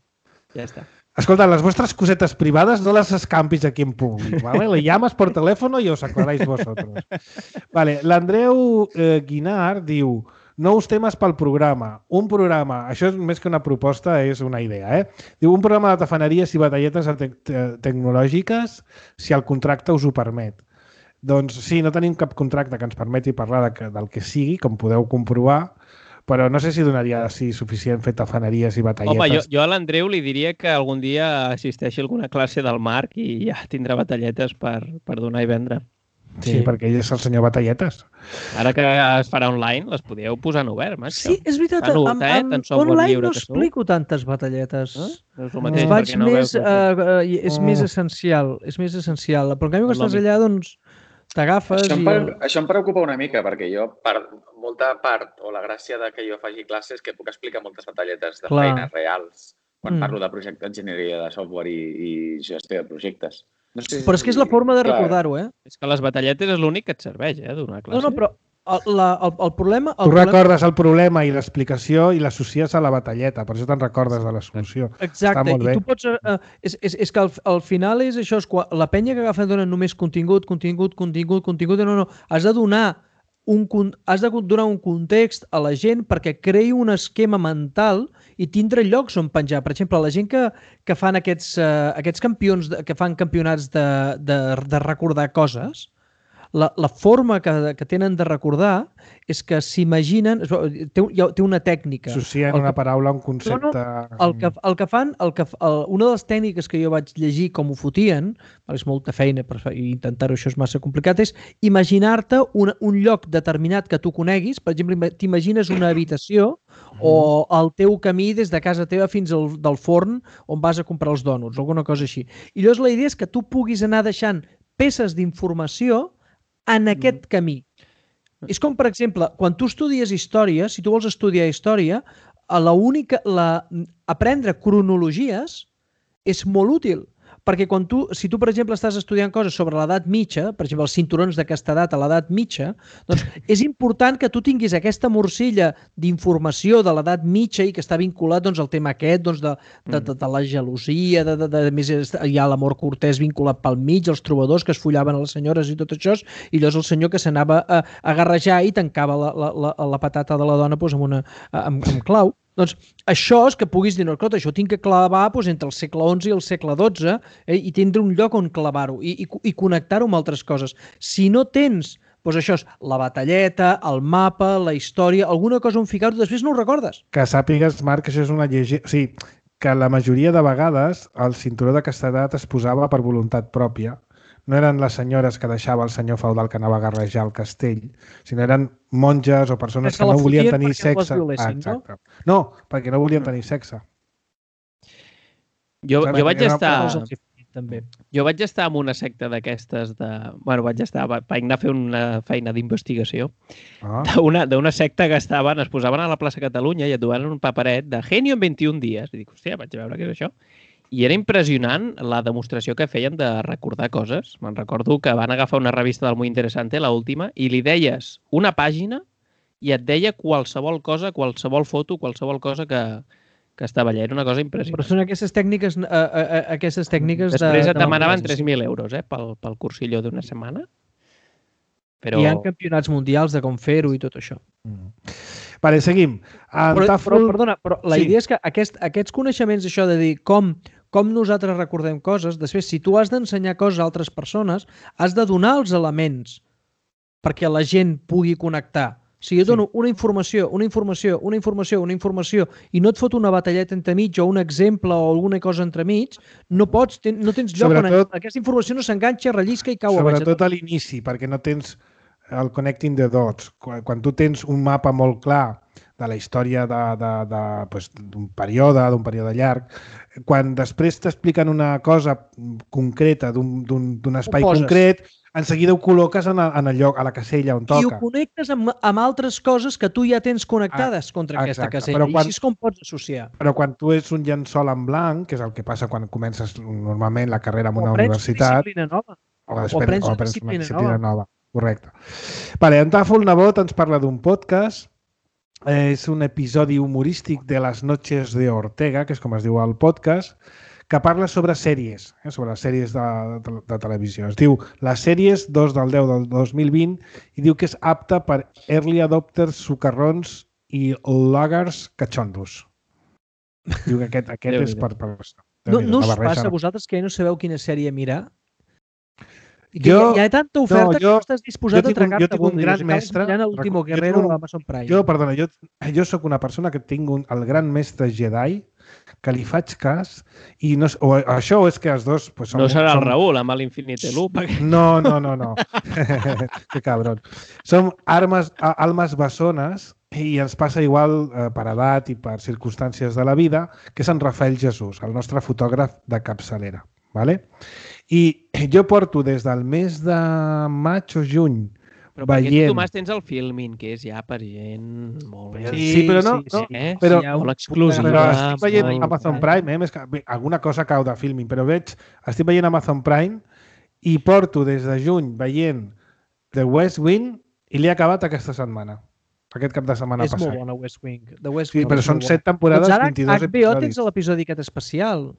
Ja està. Escolta, les vostres cosetes privades no les escampis aquí en públic, ¿vale? Le llamas por teléfono y os aclaráis vosotros. Vale, l'Andreu eh, Guinar diu nous temes pel programa. Un programa, això és més que una proposta, és una idea, eh? Diu, un programa de tafaneries i batalletes te te tecnològiques si el contracte us ho permet. Doncs sí, no tenim cap contracte que ens permeti parlar de que, del que sigui, com podeu comprovar, però no sé si donaria sí, suficient fer tafaneries i batalletes. Home, jo, jo a l'Andreu li diria que algun dia assisteixi a alguna classe del Marc i ja tindrà batalletes per, per donar i vendre. Sí, sí, perquè ell és el senyor batalletes. Ara que es farà online, les podíeu posar en obert, macho. Sí, és veritat. Tan Amb, eh? amb online no explico tantes batalletes. Eh? És el mateix, Vaig no més, veus, uh, és Oh. més essencial. És més essencial. Però en canvi, quan estàs allà, doncs, t'agafes Això, em i... pre- això em preocupa una mica, perquè jo, part, molta part, o la gràcia de que jo faci classes, que puc explicar moltes batalletes de Clar. feines reals, quan Mm. parlo de projecte d'enginyeria de software i, i gestió de projectes. No sé si- Però és que és la forma de Clar. recordar-ho, eh? És que les batalletes és l'únic que et serveix, eh, donar classe. No, no, però el, la, el, el problema... El Tu problema... recordes el problema i l'explicació i l'associes a la batalleta, per això te'n recordes de la solució. Exacte, Està molt bé. i tu pots... Uh, és, és, és que al, al final és això, és quan la penya que agafa dona només contingut, contingut, contingut, contingut, no, no, has de donar un, has de donar un context a la gent perquè creï un esquema mental i tindre llocs on penjar. Per exemple, la gent que, que fan aquests, uh, aquests campions, de, que fan campionats de, de, de recordar coses, la, la forma que, que tenen de recordar és que s'imaginen... Té, té una tècnica. Associen una paraula a un concepte... No, no, el, que, el que fan... El que, el, una de les tècniques que jo vaig llegir com ho fotien, és molta feina, però intentar-ho això és massa complicat, és imaginar-te un, un lloc determinat que tu coneguis. Per exemple, t'imagines una habitació o el teu camí des de casa teva fins al del forn on vas a comprar els dònuts, alguna cosa així. I llavors la idea és que tu puguis anar deixant peces d'informació en aquest camí. És com, per exemple, quan tu estudies història, si tu vols estudiar història, la única, la, aprendre cronologies és molt útil. Perquè quan tu, si tu, per exemple, estàs estudiant coses sobre l'edat mitja, per exemple, els cinturons d'aquesta edat a l'edat mitja, doncs és important que tu tinguis aquesta morcilla d'informació de l'edat mitja i que està vinculat doncs, al tema aquest doncs, de, de, de, de la gelosia, de, de, de, de més hi ha l'amor cortès vinculat pel mig, els trobadors que es follaven a les senyores i tot això, i llavors el senyor que s'anava a, a garrejar i tancava la, la, la, la patata de la dona doncs, amb, una, amb, amb clau. Doncs això és que puguis dir, no, escolta, això tinc que clavar doncs, entre el segle onze i el segle dotze eh, i tindre un lloc on clavar-ho i, i, i connectar-ho amb altres coses. Si no tens, doncs això és la batalleta, el mapa, la història, alguna cosa on ficar-ho, després no ho recordes. Que sàpigues, Marc, que això és una llegenda... O sigui, que la majoria de vegades el cinturó de castedat es posava per voluntat pròpia. No eren les senyores que deixava el senyor feudal que anava a garrejar el castell, sinó eren monges o persones que no volien tenir sexe. Ah, exacte. No, perquè no volien tenir sexe. Jo, jo vaig estar... També. Jo vaig estar en una secta d'aquestes de... Bueno, vaig estar... Vaig anar a fer una feina d'investigació Ah. d'una d'una secta que estaven... Es posaven a la plaça Catalunya i et duaven un paperet de Genio en vint-i-un dies. I dic, hòstia, vaig veure què és això. I era impressionant la demostració que feien de recordar coses. Me'n recordo que van agafar una revista del Muy Interesante, l'última, i li deies una pàgina i et deia qualsevol cosa, qualsevol foto, qualsevol cosa que, que estava allà. Era una cosa impressionant. Però són aquestes tècniques, uh, uh, aquestes tècniques Després de... et demanaven tres mil euros eh, pel, pel cursillo d'una setmana. Però... Hi ha campionats mundials de com fer-ho i tot això. Mm. Vale, seguim. Però, Tafel... però, perdona, però la Sí. idea és que aquest, aquests coneixements, això de dir com, com nosaltres recordem coses, després, si tu has d'ensenyar coses a altres persones, has de donar els elements perquè la gent pugui connectar. Si jo dono una informació, una informació, una informació, una informació i no et fot una batalleta entremig o un exemple o alguna cosa entremig, no pots, ten, no tens lloc Sobretot- on aquesta informació no s'enganxa, rellisca i cau a baix. Sobretot a l'inici, perquè no tens el connecting the dots. Quan, quan tu tens un mapa molt clar de la història d'un de, de, pues, d'un període, d'un període llarg, quan després t'expliquen una cosa concreta d'un espai poses. concret, en seguida ho col·loques en, el, en el lloc, a la casella on I ho toca. connectes amb, amb altres coses que tu ja tens connectades Ah, contra aquesta exacte. casella. Però quan- I així és com pots associar. Però quan tu ets un llençol en blanc, que és el que passa quan comences normalment la carrera en O una aprens universitat, disciplina nova. o, o després, aprens o una aprens disciplina una disciplina nova. nova. Correcte. Vale, en Tàfol Nebot ens parla d'un podcast. Eh, és un episodi humorístic de les noches de Ortega, que és com es diu el podcast, que parla sobre sèries, eh, sobre les sèries de, de, de televisió. Es diu Les sèries dos del deu del dos mil vint i diu que és apta per early adopters, sucarrons i loggers catxondos. Diu que aquest, aquest és per... per no no us passa a vosaltres que no sabeu quina sèrie mirar? I que jo, hi ha tanta oferta no, jo, que no estàs disposat a tragar-te. Jo tinc un gran mestre... l'último guerrero a Amazon Prime. Jo, perdona, jo, jo sóc una persona que tinc un, el gran mestre Jedi que li faig cas i no, o això o és que els dos... Pues, som, no serà som... el Raül amb l'Infinite Loop. Perquè... No, no, no, no. Que cabron. Som armes, almes bessones i ens passa igual eh, per edat i per circumstàncies de la vida que és en Rafael Jesús, el nostre fotògraf de capçalera. Vale? I jo porto des del mes de maig o juny però perquè veient... tu, Tomàs, tens el filming, que és ja per gent molt... Sí, sí però no... Sí, no sí, eh? però, sí, molt exclusiva. Però estic veient molt... Amazon Prime, eh? Més que, bé, alguna cosa cau de filming, però veig... Estic veient Amazon Prime i porto des de juny veient The West Wing i l'he acabat aquesta setmana. Aquest cap de setmana és passat. És molt bona, West Wing. The West sí, Wing però són set temporades, doncs ara, vint-i-dos H B O episodis. tens l'episodi aquest especial.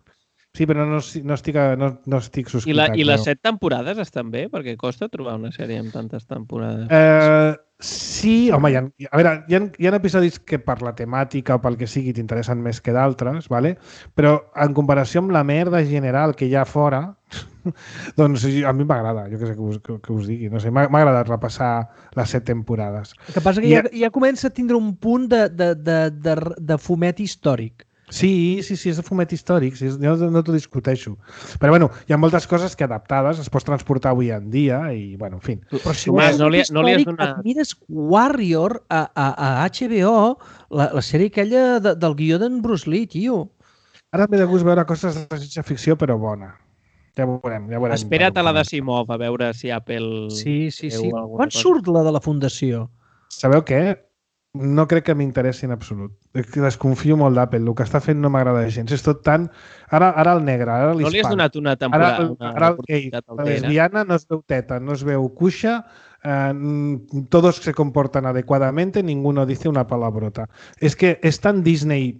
Sí, però no, no, estic, no, no estic subscritat. I, la, i les però... set temporades estan bé? Perquè costa trobar una sèrie amb tantes temporades. Eh, sí, home, hi ha, a veure, hi ha, hi ha episodis que per la temàtica o pel que sigui t'interessen més que d'altres, ¿vale? Però en comparació amb la merda general que hi ha fora, doncs a mi m'agrada, jo què sé que us, que, que us digui. No sé, m'ha agradat repassar les set temporades. El que passa que I, ja, ja comença a tindre un punt de, de, de, de, de fumet històric. Sí, sí, sí, és de fumet històric, sí, no, no t'ho discuteixo. Però bueno, hi ha moltes coses que adaptades es pots transportar avui en dia i, bueno, en fi. Però si Tomàs, no, li, no li has donat... Et mires Warrior a, a, a H B O, la, la sèrie aquella de, del guió d'en Bruce Lee, tio. Ara m'he de gust veure coses de ciència-ficció, però bona. Ja veurem, ja veurem. Espera't a la d'Asimov, a veure si Apple... Sí, sí, sí. Quan cosa. Surt la de la Fundació? Sabeu què? No crec que m'interessi en absolut. Desconfio molt d'Apple. El que està fent no m'agrada gens. És tot tan... Ara, ara el negre, ara l'hispà. No li has donat una temporada, ara, una ara el gay, la lesbiana no es veu teta, no es veu cuixa, eh, todos se comportan adecuadamente, ninguno dice una palabrota. És que és tan Disney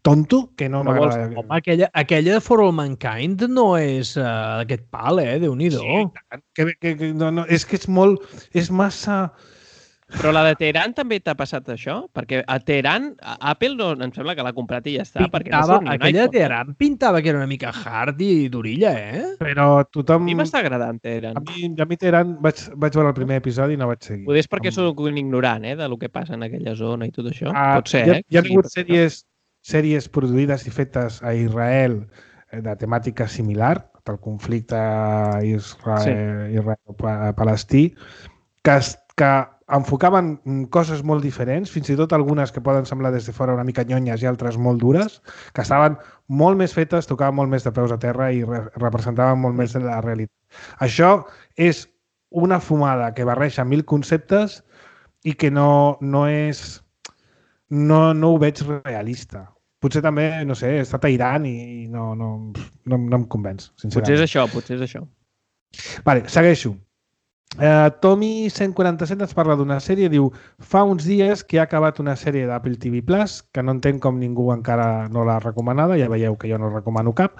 tonto que no m'agrada. Home, aquella, aquella For All Mankind no és uh, aquest pal, eh? Déu-n'hi-do. Sí, que, que, que, no, no, és que és molt... És massa... Però la de Teheran també t'ha passat això? Perquè a Teheran, Apple no, em sembla que l'ha comprat i ja està. Pintava, no aquella de Teheran pintava que era una mica hard i d'orilla, eh? Però tothom... A mi m'està agradant Teheran. A mi, a mi Teheran vaig, vaig veure el primer episodi i no vaig seguir. Potser és perquè soc un ignorant, eh, del que passa en aquella zona i tot això. Ah, Pot ser, hi ha, eh? Hi ha hagut sèries, sèries produïdes i fetes a Israel de temàtica similar, del conflicte Israel, sí. Israel-Palestí, que, que enfocaven coses molt diferents, fins i tot algunes que poden semblar des de fora una mica nyonyes i altres molt dures, que estaven molt més fetes, tocaven molt més de peus a terra i re representaven molt més de la realitat. Això és una fumada que barreja mil conceptes i que no, no és... No, no ho veig realista. Potser també, no sé, he estat a Iran i no, no, no, no em convenç, sincerament. Potser és això, potser és això. Vale, segueixo. Uh, Tommy cent quaranta-set ens parla d'una sèrie, diu, fa uns dies que ha acabat una sèrie d'Apple T V Plus, que no entenc com ningú encara no l'ha recomanada, ja veieu que jo no recomano cap.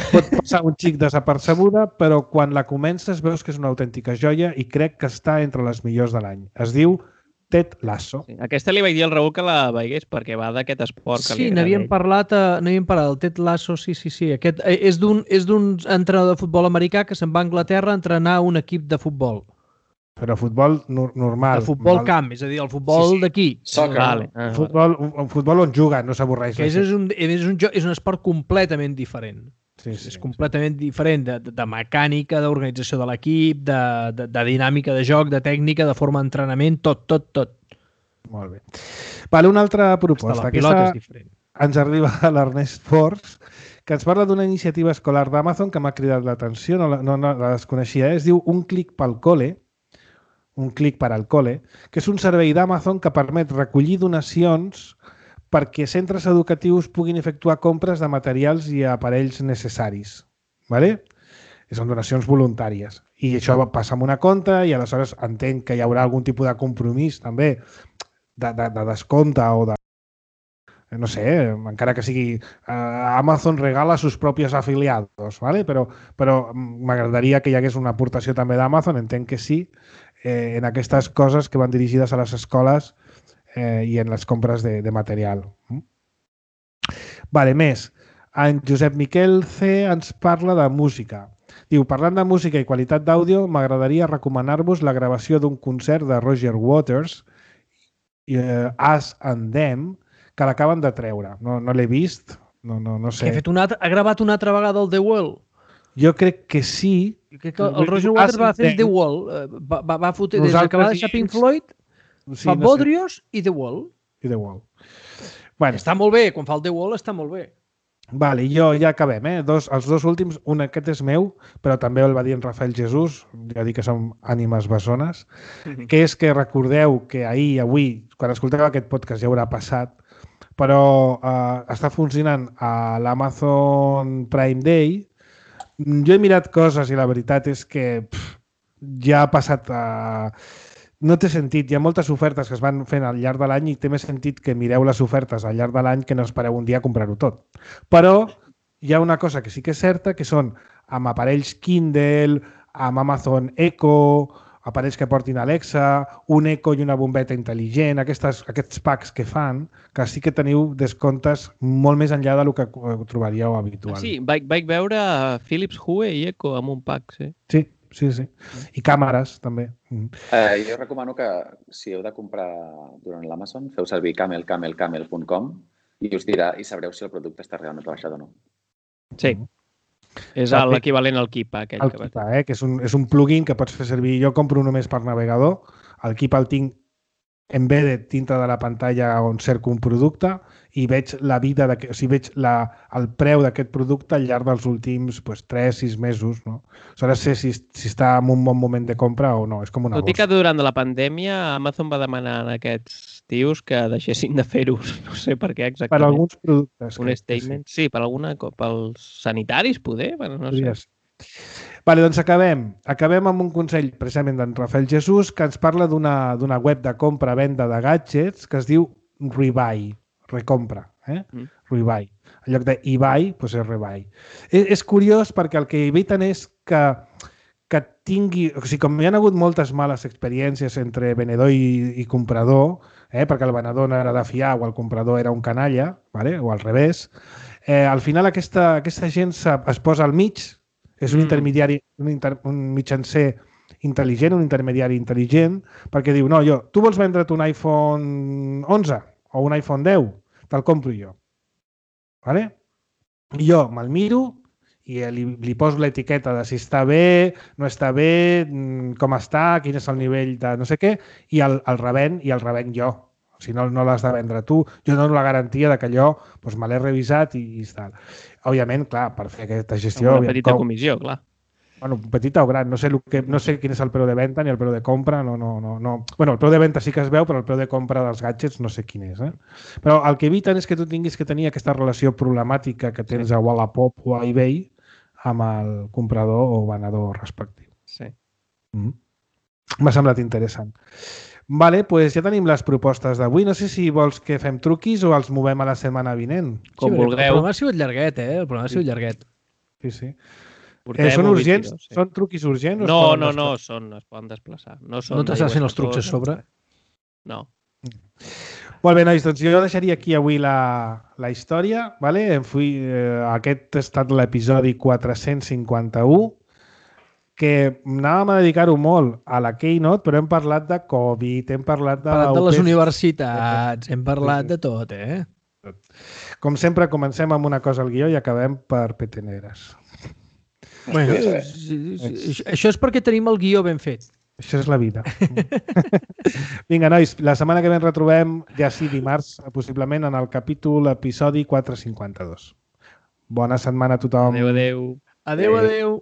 Pot passar un xic desapercebuda, però quan la comences veus que és una autèntica joia i crec que està entre les millors de l'any. Es diu Ted Lasso. Sí, aquesta li vaig dir al Raül que la veigués perquè va d'aquest esport que sí, li agrada. n'havíem parlat, n'havíem parlat, el Ted Lasso, sí, sí, sí. Aquest és d'un és d'un entrenador de futbol americà que se'n va a Anglaterra a entrenar un equip de futbol. Però futbol no, normal. De futbol normal. Camp, és a dir, el futbol sí, sí. d'aquí. Soccer. Vale. Ah, futbol, un, un futbol on juga, no s'avorreix. És, un, és, un, és un esport completament diferent. Sí, sí, és completament sí. diferent de, de, de mecànica, d'organització de l'equip, de, de, de dinàmica de joc, de tècnica, de forma d'entrenament, tot, tot, tot. Molt bé. Vale, una altra proposta. La pilota és diferent. Ens arriba a l'Ernest Force, que ens parla d'una iniciativa escolar d'Amazon que m'ha cridat l'atenció, no, no, no la desconeixia, eh? Es diu Un clic pel cole, un clic per al cole, que és un servei d'Amazon que permet recollir donacions perquè centres educatius puguin efectuar compres de materials i aparells necessaris. ¿Vale? Són donacions voluntàries. I això passa amb una compta i aleshores entenc que hi haurà algun tipus de compromís també de, de, de descompte o de no sé, encara que sigui uh, Amazon regala sus propios afiliados, ¿vale? però, però m'agradaria que hi hagués una aportació també d'Amazon, entenc que sí, eh, en aquestes coses que van dirigides a les escoles eh, i en les compres de, de material. Vale, més. En Josep Miquel C ens parla de música. Diu, parlant de música i qualitat d'àudio, m'agradaria recomanar-vos la gravació d'un concert de Roger Waters, eh, Us and Them, que l'acaben de treure. No, no l'he vist, no, no, no sé. Ha, fet una altra, ha gravat una altra vegada el The Wall? Jo crec que sí. Jo crec que el Roger Waters va fer The Wall. Va, va, va fotre, des que va deixar Pink Floyd, sí, fa no Bodrios sé. I The Wall. I The Wall. Bueno. Està molt bé, quan fa el The Wall està molt bé. Vale, jo ja acabem, eh? Dos, els dos últims, un aquest és meu, però també el va dir en Rafael Jesús, ja dic que som ànimes bessones, mm-hmm. que és que recordeu que ahir, avui, quan escolteu aquest podcast ja haurà passat, però eh, està funcionant a l'Amazon Prime Day. Jo he mirat coses i la veritat és que pff, ja ha passat a... No té sentit. Hi ha moltes ofertes que es van fent al llarg de l'any i té més sentit que mireu les ofertes al llarg de l'any que no espereu un dia a comprar-ho tot. Però hi ha una cosa que sí que és certa, que són amb aparells Kindle, amb Amazon Echo, aparells que portin Alexa, un Echo i una bombeta intel·ligent, aquestes, aquests packs que fan, que sí que teniu descomptes molt més enllà del que trobaríeu habitual. Ah, sí, vaig, vaig veure Philips Hue i Echo amb un pack, sí. Sí. Sí, sí. I càmeres, també. Mm. Eh, jo recomano que, si heu de comprar durant l'Amazon, feu servir camel camel camel punt com i us dirà i sabreu si el producte està realment rebaixat o no. Sí. És l'equivalent al Keepa. Aquell el Keepa, eh? Que és un, és un plugin que pots fer servir. Jo compro només per navegador. El Keepa el tinc embedded dintre de la pantalla on cerco un producte i veig la vida, de, o sigui, veig la, el preu d'aquest producte al llarg dels últims pues, tres sis mesos. No? Aleshores sé si, si està en un bon moment de compra o no. És com una Tot i que durant la pandèmia Amazon va demanar a aquests tios que deixessin de fer-ho. No sé per què exactament. Per alguns productes. Un statement. Sí. sí, per alguna, pels sanitaris, poder? Bueno, no sé. Vale, doncs acabem. Acabem amb un consell precisament d'en Rafael Jesús que ens parla d'una web de compra-venda de gadgets que es diu Rebuy, recompra, eh? Mm. Rebuy. En lloc d'eBuy, doncs és Rebuy. És, és curiós perquè el que eviten és que, que tingui... O sigui, com hi ha hagut moltes males experiències entre venedor i, i comprador, eh? Perquè el venedor no era de fiar o el comprador era un canalla, vale? O al revés, eh, al final aquesta, aquesta gent es posa al mig. És un intermediari, un, inter, un mitjancer intel·ligent, un intermediari intel·ligent, perquè diu, no, jo, tu vols vendre't un iPhone onze o un iPhone deu, te'l compro jo. Vale? I jo me'l miro i li, li poso l'etiqueta de si està bé, no està bé, com està, quin és el nivell de no sé què, i el, el revend i el revend jo. Si no, no l'has de vendre tu. Jo dono la garantia de que allò doncs, me l'he revisat i, i tal. Òbviament, clar, per fer aquesta gestió... Una petita com... comissió, clar. Bueno, petita o gran. No sé, el que, no sé quin és el preu de venda ni el preu de compra. No, no, no, no. Bueno, el preu de venda sí que es veu, però el preu de compra dels gadgets no sé quin és. Eh? Però el que eviten és que tu tinguis que tenir aquesta relació problemàtica que tens sí. a Wallapop o a eBay amb el comprador o venedor respectiu. Sí. Mm. M'ha semblat interessant. Vale, doncs ja tenim les propostes d'avui. No sé si vols que fem truquis o els movem a la setmana vinent. Com sí, vulgueu. El programa ha sigut llarguet, eh? El programa ha sigut llarguet. Sí, sí. Eh, són urgents? vint-i-dos, sí. Són truquis urgents? No, no, no, són, es poden desplaçar. No, són no t'estàs fent els trucs a sobre? No. Molt bé, nois, doncs jo deixaria aquí avui la, la història. Vale? Fui, eh, aquest ha estat l'episodi quatre-cents cinquanta-u, que anàvem a dedicar-ho molt a la Keynote, però hem parlat de Covid, hem parlat de... Hem parlat de les universitats, hem parlat de tot, eh? Com sempre, comencem amb una cosa al guió i acabem per peteneres. Bueno, això és perquè tenim el guió ben fet. Això és la vida. Vinga, nois, la setmana que ve ens retrobem, ja sí, dimarts, possiblement, en el capítol, episodi quatre cinquanta-dos. Bona setmana a tothom. Adéu, adéu. Adéu, adéu.